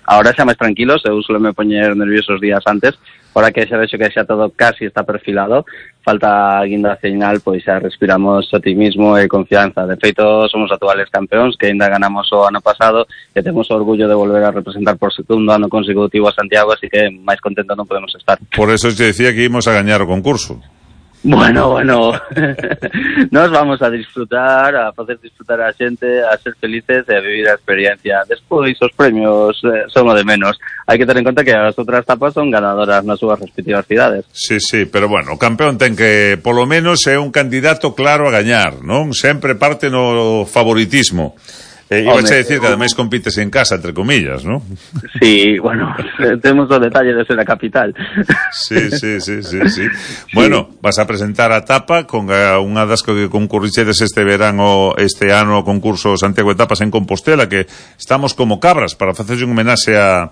Ahora xa máis tranquilos, eu suelo me poñer nerviosos días antes. Ahora que xa vexo que xa todo casi está perfilado, falta a guinda final, pois xa respiramos optimismo e confianza. De feito, somos actuales campeóns, que ainda ganamos o ano pasado, e temos o orgullo de volver a representar por segundo ano consecutivo a Santiago, así que máis contentos non podemos estar. Por eso te decía que íbamos a gañar o concurso. Bueno, nos vamos a disfrutar, a facer disfrutar a xente, a ser felices e a vivir a experiencia. Despois, os premios son o de menos. Hai que ter en conta que as outras tapas son ganadoras nas súas respectivas cidades. Sí, pero bueno, o campeón ten que, polo menos, é un candidato claro a gañar, non? Sempre parte no favoritismo. Ibas a decir que ademais compites en casa, entre comillas, ¿no? Sí, bueno, temos o detalle de ser a capital. Sí. Bueno, vas a presentar a tapa con unha das que concurrichedes este ano ao concurso Santiago de Tapas en Compostela, que estamos como cabras para facerlle un homenaxe a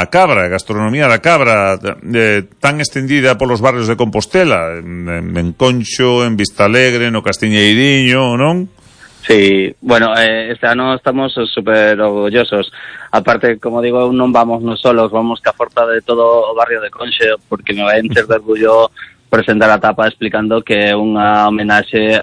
cabra, a gastronomía da cabra, tan extendida polos barrios de Compostela, en Conxo, en Vistalegre, no Castiñeiriño, non? Sí, bueno, este ano estamos super orgullosos. Aparte, como digo, non vamos nos solos, vamos ca forza de todo o barrio de Conxo, porque me vai encher de orgullo presentar a tapa explicando que é unha homenaxe,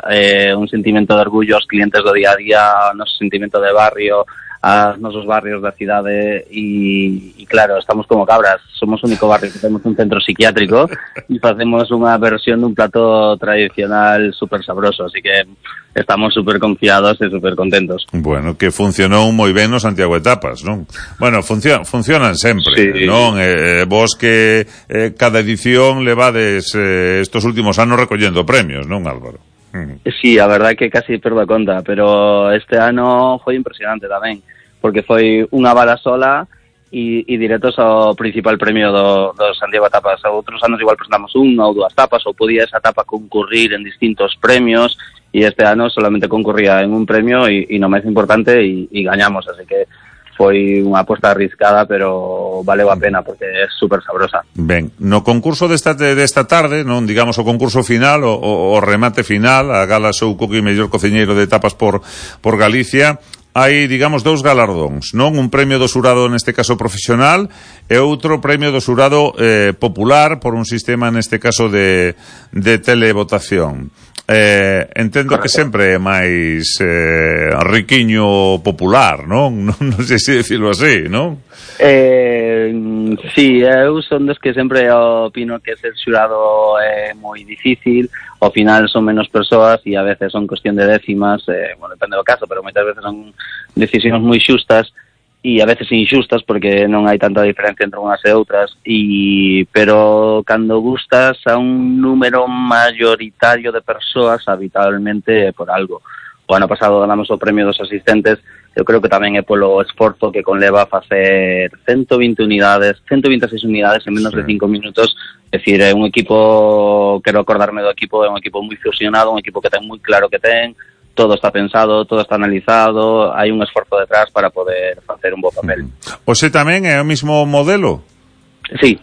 un sentimento de orgullo aos clientes do día a día, o noso sentimento de barrio, aos nosos barrios da cidade e claro, estamos como cabras, somos o único barrio que temos un centro psiquiátrico e facemos unha versión dun plato tradicional super sabroso, así que estamos super confiados e super contentos. Bueno, que funcionou moi ben no Santiago de Tapas, non? Bueno, funcionan sempre, sí. Non? Vos que cada edición levades estos últimos anos recollendo premios, non, Álvaro? Sí, a verdade é que casi perdo a conta, pero este ano foi impresionante tamén, porque foi unha bala sola e directos ao principal premio do Santiago de Tapas. Outros anos igual presentamos unha ou dúas tapas, ou podía esa tapa concurrir en distintos premios, e este ano solamente concurría en un premio e no máis importante e gañamos, así que foi unha aposta arriscada, pero valeu a pena porque é super sabrosa. Ben, no concurso desta tarde, non digamos o concurso final, o remate final, a gala Show Cookie mellor cociñeiro de tapas por Galicia, hai, digamos, dous galardóns, non? Un premio do xurado, neste caso profesional, e outro premio do xurado popular por un sistema, neste caso, de televotación. Entendo que sempre é máis riquiño popular, non? Non sei se decirlo así, non? Sí, eu son dos que sempre opino que ser xurado é moi difícil, ao final son menos persoas e a veces son cuestión de décimas, bueno, depende do caso, pero moitas veces son decisións moi xustas e a veces inxustas porque non hai tanta diferencia entre unhas e outras, pero cando gustas a un número mayoritario de persoas habitualmente é por algo. O ano pasado ganamos o premio dos asistentes, eu creo que tamén é polo esforzo que conleva facer 126 unidades en menos de 5 minutos. É dicir, é un equipo, quero acordarme do equipo, é un equipo moi fusionado, un equipo que ten moi claro que ten, todo está pensado, todo está analizado, hai un esforzo detrás para poder facer un bo papel. Oxe, tamén é o mismo modelo? Sí.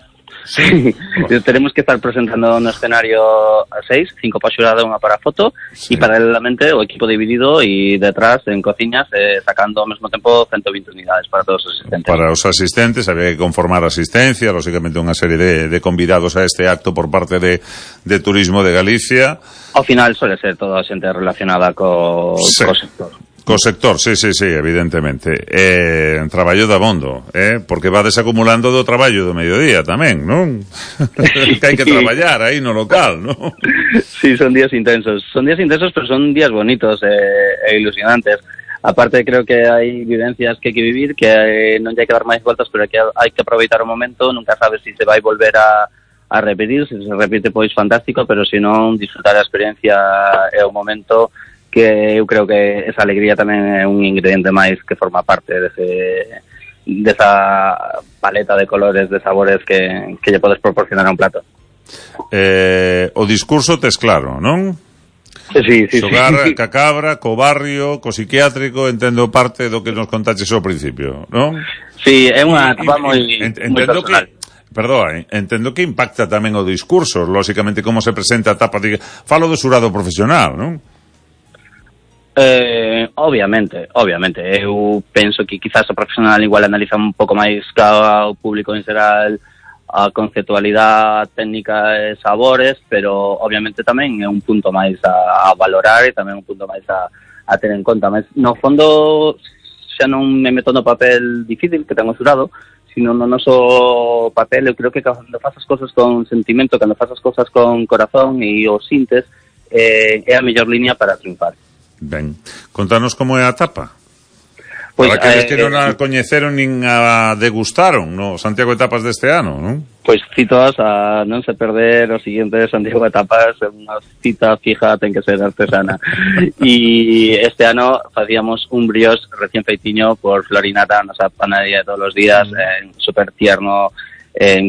Tenemos que estar presentando no escenario a 6, 5 para xurado e unha para foto, e paralelamente o equipo dividido e detrás en cociñas sacando ao mesmo tempo 120 unidades para todos os asistentes. Para os asistentes había que conformar asistencia, lógicamente unha serie de convidados a este acto por parte de Turismo de Galicia. Ao final suele ser toda a xente relacionada co sector. Co sector, sí, evidentemente. Traballo de abondo, porque va desacumulando do traballo do mediodía tamén, non? Que hai que traballar aí no local, non? Sí, son días intensos, pero son días bonitos e ilusionantes. Aparte, creo que hai vivencias que hai que vivir, que non hai que dar máis voltas, pero que hai que aproveitar o momento, nunca sabes se se vai volver a repetir, se repite, pois fantástico, pero se non, disfrutar a experiencia e o momento, que eu creo que esa alegría tamén é un ingrediente máis que forma parte desa paleta de colores, de sabores que lle podes proporcionar a un plato. O discurso tes claro, non? Sí. Xogar ca cabra, co barrio, co psiquiátrico, entendo parte do que nos contaches ao principio, non? Sí, é unha etapa moi personal. Entendo que impacta tamén o discurso, lóxicamente como se presenta a etapa falo do xurado profesional, non? Obviamente. Eu penso que quizás o profesional igual analiza un pouco máis ao público en xeral a conceptualidade técnica e sabores, pero obviamente tamén é un punto máis a valorar e tamén un punto máis a ter en conta. Mas no fondo xa non me meto no papel difícil que ten o xurado, sino no noso papel. Eu creo que cando faz as cosas con sentimento, cando faz as cosas con corazón e o sintes, é a mellor línea para triunfar. Ben, contanos como é a tapa. Pois, para aqueles que non a coñeceron nin a degustaron no Santiago Etapas deste ano, non? Pois citos a non se perder o seguinte Santiago Etapas, unha cita fija ten que ser artesana. E este ano facíamos un brioche recién feitiño por Florinata, nosa panadería de todos os días, super tierno,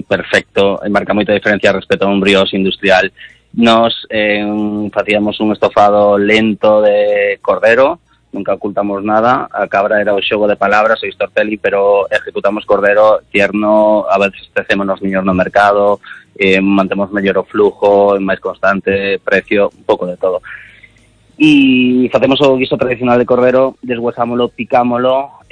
perfecto, marca moita diferencia respecto a un brioche industrial. Nos facíamos un estofado lento de cordero, nunca ocultamos nada. A cabra era o xogo de palabras, o Stortelli, pero ejecutamos cordero tierno, a veces tecémonos niños no mercado, mantemos mellor o flujo, máis constante, precio, un pouco de todo. E facemos o guiso tradicional de cordero, deshuesámolo, picámolo,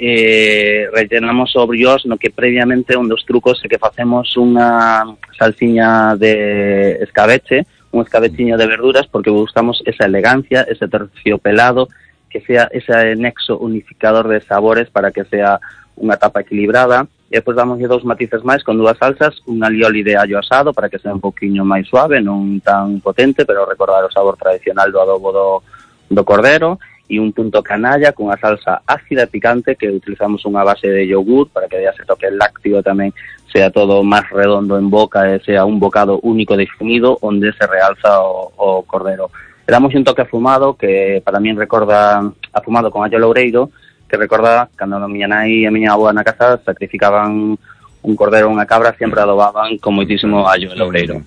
rellenamos o brioche, no que previamente un dos trucos é que facemos unha salsiña de escabeche, un escabechiño de verduras, porque buscamos esa elegancia, ese terciopelado, que sea ese nexo unificador de sabores para que sea unha tapa equilibrada. E depois damos 2 matices máis con 2 salsas, un alioli de allo asado para que sea un poquinho máis suave, non tan potente, pero recordar o sabor tradicional do adobo do cordero, e un punto canalla con unha salsa ácida e picante que utilizamos unha base de yogur para que dea ese toque lácteo tamén, sea todo máis redondo en boca e sea un bocado único definido onde se realza o cordero. Le damos un toque afumado que para min recorda afumado con allo loureiro, que recorda cando a miña nai e a miña avó na casa sacrificaban un cordero ou unha cabra, sempre adobaban con moitísimo allo e loureiro.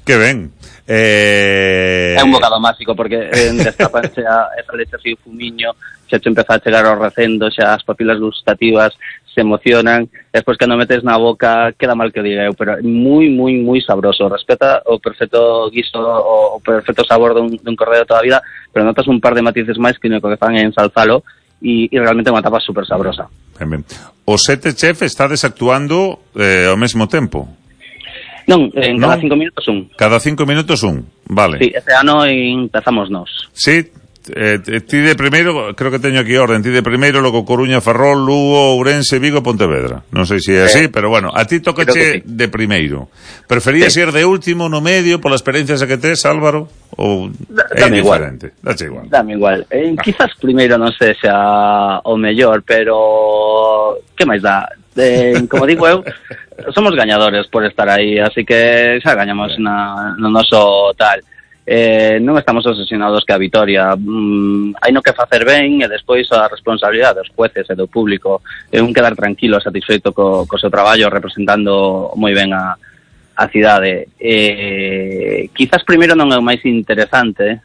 Que ben. É un bocado máxico porque destapanse esa leche así o fumiño, xa te empeza a chegar ao recendo, xa as papilas gustativas se emocionan, despois cando metes na boca queda mal que diga eu, pero é moi sabroso, respeta o perfecto guiso, o perfecto sabor dun cordero toda a vida, pero notas un par de matices máis que no que fan en ensalzalo e realmente é unha tapa super sabrosa. Ben. Os 7 chef estades actuando ao mesmo tempo? Non, cada 5 minutos un. Cada 5 minutos un, vale. Sí, este ano empezamos nós. Sí, ti de primeiro, creo que teño aquí orden, ti de primeiro, logo Coruña, Ferrol, Lugo, Ourense, Vigo, Pontevedra. Non sei se é así, pero bueno, a ti tocache de primeiro. Preferías ir de último, no medio, pola experiencia que tes, Álvaro? Ou é indiferente? Dache igual. Dame igual. Quizás primeiro non sexa o mellor, pero que máis dá? Como digo eu, somos gañadores por estar aí, así que xa gañamos no noso tal. Non estamos obsesionados que a vitoria, hai no que facer ben e despois a responsabilidade dos jueces e do público é un quedar tranquilo, satisfeito co seu traballo representando moi ben a cidade. Quizás primeiro non é o máis interesante,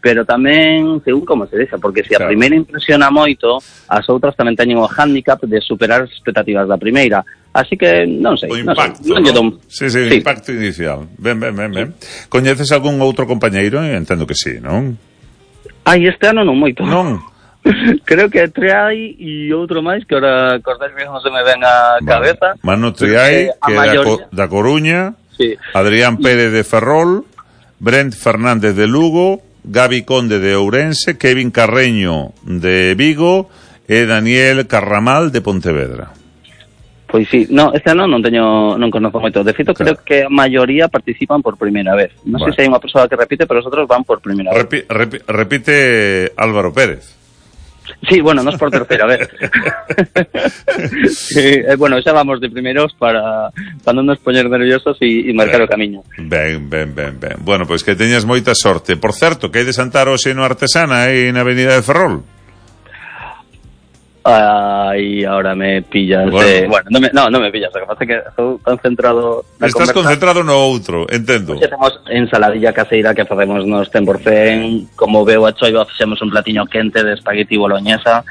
pero tamén según como se deixa, porque se a primeira impresiona moito, as outras tamén teñen o hándicap de superar as expectativas da primeira. Así que non sei. O impacto, non? Sí, o impacto inicial. Ben. Coñeces algún outro compañeiro? Entendo que sí, non? Este ano non moito. Non? Creo que Triai e outro máis que ahora Cordel non se me ven a cabeza. Manu Triai, que é da Coruña, Adrián Pérez de Ferrol, Brent Fernández de Lugo, Gabi Conde de Ourense, Kevin Carreño de Vigo e Daniel Carramal de Pontevedra. Pois sí, este ano non conozco moito. De feito, creo que a maioría participan por primeira vez. Non sei se hai unha persoa que repite, pero os outros van por primeira vez. Repite Álvaro Pérez. Sí, bueno, nos por terceira vez. Bueno, xa vamos de primeiros para non nos poñer nerviosos e marcar o camiño. Ben. Bueno, pois que teñas moita sorte. Por certo, que hai de Santar hoxe no Artesana aí na Avenida de Ferrol? aí ahora me pillas non me pillas, o que pasa é que estou concentrado na Estás conversa. concentrado no outro, entendo. Hoxe temos ensaladilla caseira que facemos nos 100%, como veo a choiva, fixemos un platiño quente de espagueti boloñesa,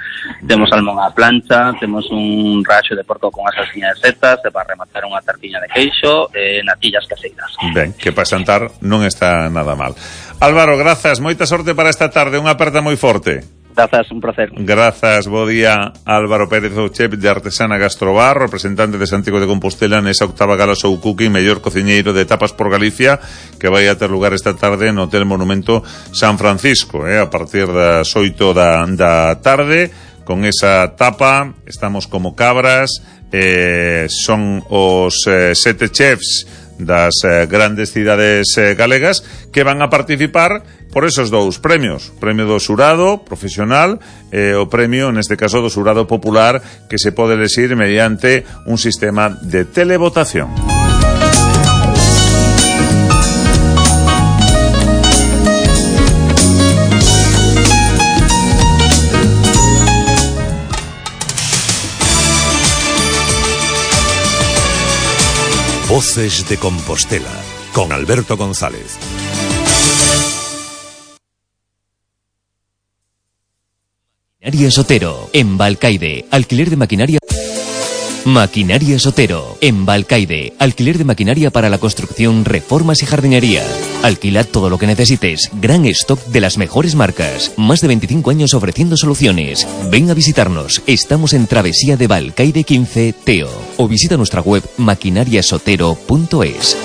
temos salmón á plancha, temos un raxo de porco con a salsiña de setas, e para rematar unha tartiña de queixo e natillas caseiras. Ben, que para xantar non está nada mal. Álvaro, grazas, moita sorte para esta tarde, unha aperta moi forte. Grazas, un placer. Grazas, bo día. Álvaro Pérez, o chef de Artesana Gastrobar, representante de Santiago de Compostela nesa octava gala Show Cooking, mellor cociñeiro de tapas por Galicia, que vai a ter lugar esta tarde no Hotel Monumento San Francisco, a partir das 8 da tarde. Con esa tapa estamos como cabras, son os 7 chefs das grandes cidades galegas que van a participar por esos dous premios, premio do xurado profesional e o premio, neste caso, do xurado popular, que se pode elexir mediante un sistema de televotación. Voces de Compostela, con Alberto González. Maquinaria Sotero, en Balcaide, alquiler de maquinaria. Maquinaria Sotero, en Balcaide, alquiler de maquinaria para la construcción, reformas y jardinería. Alquilad todo lo que necesites, gran stock de las mejores marcas, más de 25 años ofreciendo soluciones. Ven a visitarnos, estamos en Travesía de Balcaide 15, Teo, o visita nuestra web maquinariasotero.es.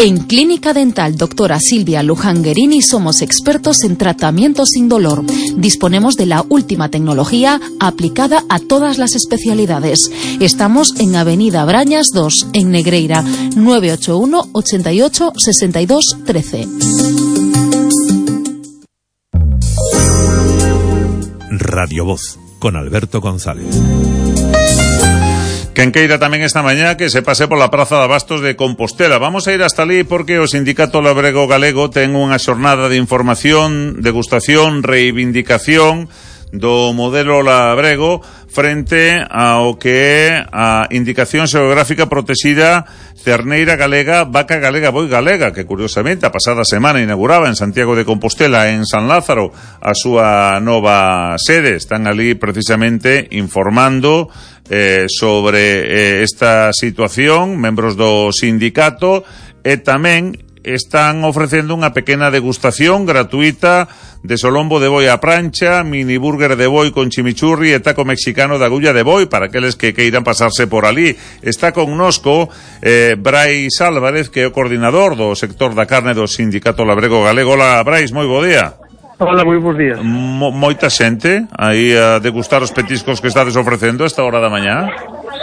En Clínica Dental Doctora Silvia Lujanguerini somos expertos en tratamiento sin dolor. Disponemos de la última tecnología aplicada a todas las especialidades. Estamos en Avenida Brañas 2, en Negreira, 981 88 62 13. Radio Voz, con Alberto González. Quen queira tamén esta mañá que se pase pola Praza de Abastos de Compostela. Vamos a ir hasta ali porque o Sindicato Labrego Galego ten unha xornada de información, degustación, reivindicación do modelo labrego frente ao que é a indicación xeográfica protexida Cerneira Galega, Vaca Galega, Boi Galega, que curiosamente a pasada semana inauguraba en Santiago de Compostela, en San Lázaro, a súa nova sede. Están ali precisamente informando sobre esta situación, membros do sindicato, e tamén están ofrecendo unha pequena degustación gratuita de solombo de boi a prancha, mini burger de boi con chimichurri e taco mexicano de agulla de boi para aqueles que queiran pasarse por ali. Está connosco Brais Álvarez, que é o coordinador do sector da carne do Sindicato Labrego Galego. Hola, Brais, moi bo día. Hola, moi bons días. Moita xente aí a degustar os petiscos que estades ofrecendo a esta hora da mañá?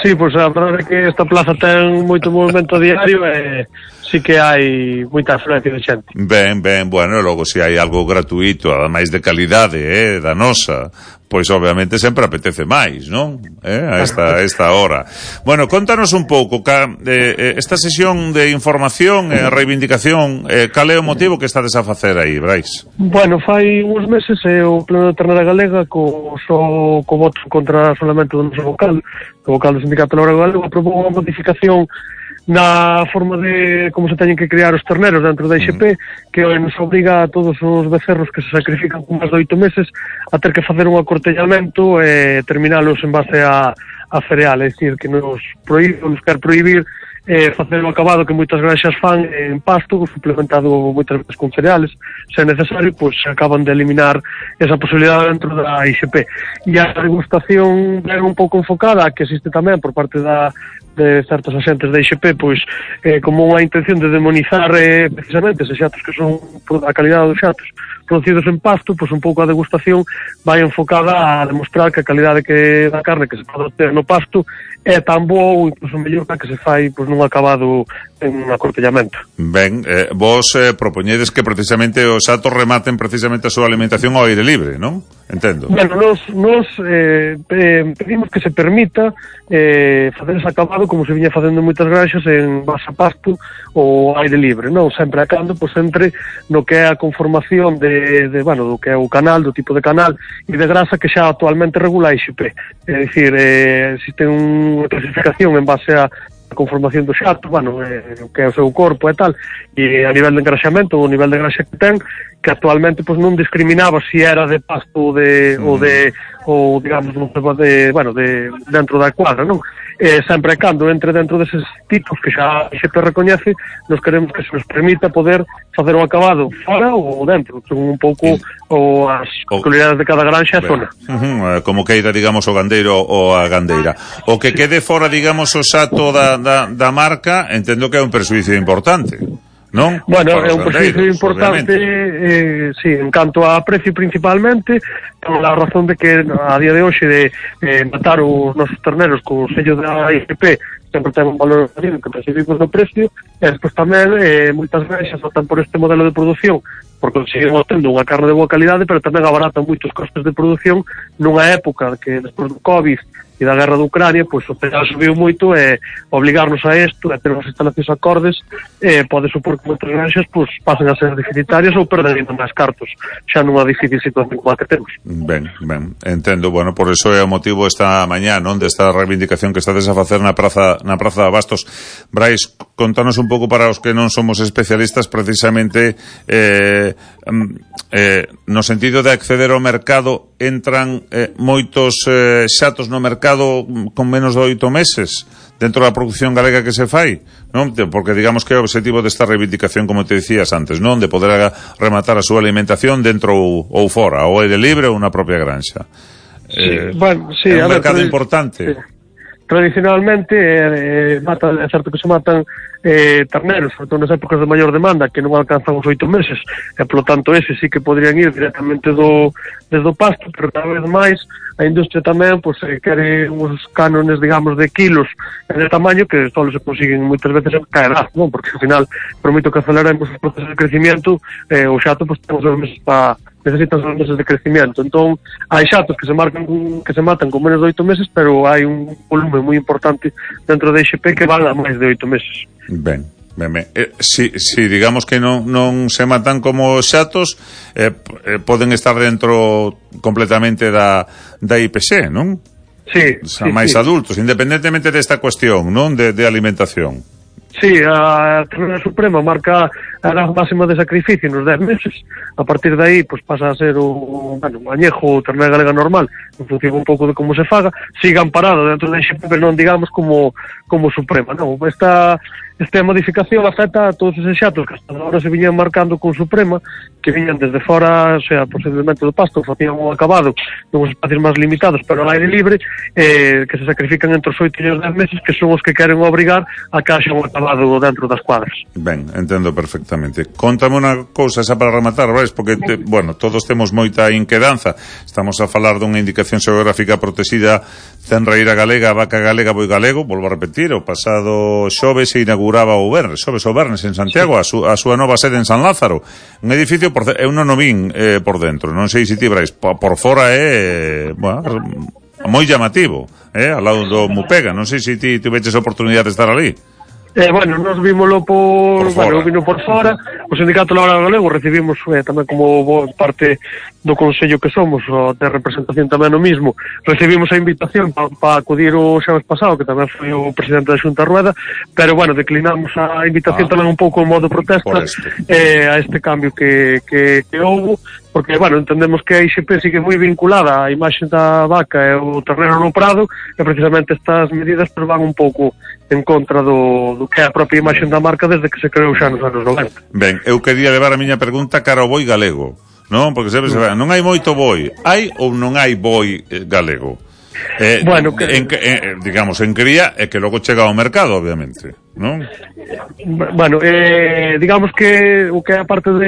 Sí, pois a verdade é que esta plaza ten moito movimento diario e sí que hai moita afluencia de xente. Ben, bueno, e logo se hai algo gratuito, ademais de calidade, da nosa, pois obviamente sempre apetece máis, non? A esta hora. Bueno, contanos un pouco, esta sesión de información e reivindicación, cal é o motivo que estades a facer aí, Brais? Bueno, fai uns meses o Pleno de Ternera Galega co voto contra solamente do noso vocal do Sindicato Labrego Galego, aprobou unha modificación na forma de como se teñen que criar os terneros dentro da IXP, que nos obriga a todos os becerros que se sacrifican con máis de 8 meses a ter que facer un acortellamento e terminalos en base a cereal, é dicir, que nos quer prohibir facer o acabado que moitas granxas fan en pasto, suplementado moitas veces con cereales, se é necesario, pois acaban de eliminar esa posibilidade dentro da IXP. E a degustación é un pouco enfocada, que existe tamén por parte de certos axentes da IXP, pois como unha intención de demonizar precisamente eses xatos que son a calidade dos xatos producidos en pasto, pois un pouco a degustación vai enfocada a demostrar que a calidade da carne que se pode obter no pasto é tan boa ou incluso mellor que se fai pois nun acabado en un acortellamento. Ben, vos propoñedes que precisamente os xatos rematen precisamente a súa alimentación ao aire libre, non? entendo. Bueno, nos pedimos que se permita facer ese acabado como se viña facendo en moitas granxas en base a pasto ou aire libre, non? Sempre a cando, pois entre no que é a conformación do que é o canal, do tipo de canal e de grasa que xa actualmente regula a IXP. É dicir, existe unha clasificación en base a conformación do xato, o que é o seu corpo e tal, e a nivel de engraxamento, o nivel de graxa que ten, que actualmente pois non discriminaba se era de pasto ou digamos de dentro da cuadra, non? Sempre e cando entre dentro deses tipos que xa se recoñece, nos queremos que se nos permita poder facer o acabado fora ou dentro, según un pouco as peculiaridades de cada granxa e zona. Como queira, digamos, o gandeiro ou a gandeira. O que quede fora, digamos, o xato da marca, entendo que é un perxuízo importante, non? Bueno, é un perxuízo importante, sí, en canto a precio principalmente, por a razón de que a día de hoxe de matar os nosos terneros co sello da IGP sempre ten un valor añadido que percibimos no precio, e despois tamén moitas granxas optan por este modelo de produción porque seguimos tendo unha carne de boa calidade, pero tamén abaratan moitos costes de produción nunha época que despois do COVID e da guerra de Ucrania, pois o petróleo subiu moito e obligarnos a isto, a ter unhas instalacións acordes, pode supor que moitas granxas pois pasen a ser deficitarias ou perden ainda máis cartos, xa nunha difícil situación como a que temos. Ben, entendo. Bueno, por eso é o motivo esta mañá, non, desta reivindicación que estades a facer na Praza de Abastos. Brais, contanos un pouco para os que non somos especialistas precisamente no sentido de acceder ao mercado, entran moitos xatos no mercado con menos de 8 meses dentro da produción galega que se fai, non? Porque digamos que é o objetivo desta reivindicación, como te dicías antes, non? De poder rematar a súa alimentación dentro ou fora, ou aire libre ou na propia granxa. Sí, é un mercado importante. Sí. Tradicionalmente é certo que se matan terneros, sobre todo nas épocas de maior demanda, que non alcanzan os 8 meses, e polo tanto ese sí que podrían ir directamente desde o pasto, pero cada vez máis a industria tamén quere uns cánones, digamos, de kilos e de tamaño que só se consiguen moitas veces caerá, non? Porque ao final, por moito que aceleremos os procesos de crecimiento, o xato temos os meses necesitan os meses de crecimiento. Entón, hai xatos que se matan con menos de 8 meses, pero hai un volume moi importante dentro da IXP que van a máis de 8 meses. Ben. Si digamos que non se matan como xatos, poden estar dentro completamente da IPC, non? Sí. Máis adultos, independentemente desta cuestión, non? De alimentación. Sí, a Tribunal Suprema marca a edad máxima de sacrificio nos 10 meses. A partir de aí, pues pasa a ser un añejo ternera galega normal, en función un pouco de como se faga. Siga amparado dentro da IXP, pero non digamos como Suprema, non? Esta modificación afecta a todos eses xatos que hasta agora se viñan marcando con Suprema, que viñan desde fora, o sea, posiblemente do pasto, facían un acabado nuns espacios máis limitados, pero ao aire libre, que se sacrifican entre os 8 e os 10 meses, que son os que queren obrigar a que haxa un acabado dentro das cuadras. Ben, entendo perfectamente. Contame unha cousa xa para rematar, Brais, porque, todos temos moita inquedanza. Estamos a falar dunha indicación xeográfica protexida, Cenreira galega, Vaca galega, Boi galego. Volvo a repetir, o pasado xoves se inauguraba o Vernes en Santiago, a súa nova sede en San Lázaro, un edificio eu non o vin por dentro, non sei se ti, Brais, por fora é moi llamativo, ao lado do Mupega. Non sei se ti tuveches oportunidade de estar ali. Nos vímoslo por fora. O Sindicato Laboral Galego recibimos tamén como parte do Consello que somos, de representación tamén no mismo, recibimos a invitación para acudir o xaves pasado, que tamén foi o presidente da Xunta Rueda, pero declinamos a invitación tamén un pouco en modo protesta a este cambio que houbo, porque, entendemos que a IXP sigue moi vinculada á imaxe da vaca e o ternero no prado, e precisamente estas medidas van un pouco en contra do que é a propia imaxe da marca desde que se creou xa nos anos 90. Ben, eu quería levar a miña pregunta cara ao boi galego, non? Porque non hai moito boi. Hai ou non hai boi galego? Digamos, en cría, e que logo chega ao mercado, obviamente, non? Digamos que o que é a parte do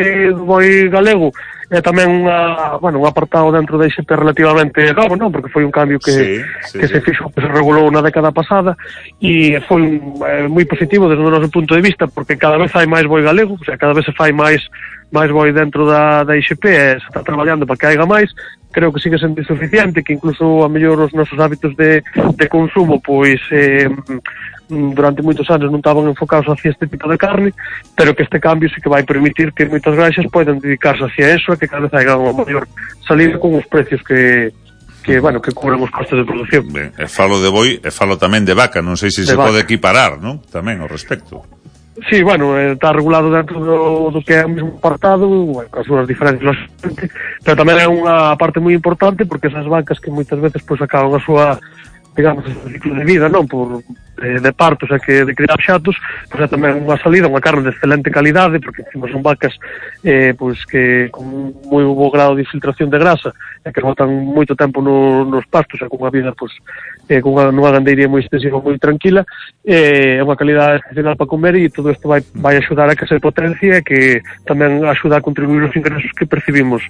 boi galego é tamén un apartado dentro da ISP relativamente novo, non? Porque foi un cambio que se fixo, que se regulou na década pasada, e foi moi positivo desde o noso punto de vista, porque cada vez hai máis boi galego, o sea, cada vez se fai máis boi dentro da ISP, se está traballando para que haiga máis. Creo que sigue sendo insuficiente, que incluso a mellor os nosos hábitos de consumo pois durante moitos anos non estaban enfocados hacia este tipo de carne, pero que este cambio sí que vai permitir que moitas granxas poidan dedicarse hacia eso e que cada vez haiga unha maior salida con os precios que cubran os costes de produción. Ben, falo de boi e falo tamén de vaca, non sei se se pode equiparar, non? Tamén ao respecto. Sí, está regulado dentro do que é o mesmo apartado, as súas diferencias, pero tamén é unha parte moi importante, porque esas vacas que moitas veces pois acaban a súa, digamos, o ciclo de vida, non, por de partos e que de criar xatos, pois é tamén unha salida, unha carne de excelente calidade, porque encima son vacas pois que con moi bo grado de infiltración de grasa e que botan moito tempo nos pastos e con unha vida pois nunha gandeiría moi extensiva, moi tranquila, é unha calidade excepcional para comer, e todo isto vai axudar a que se potencie e que tamén axuda a contribuir os ingresos que percibimos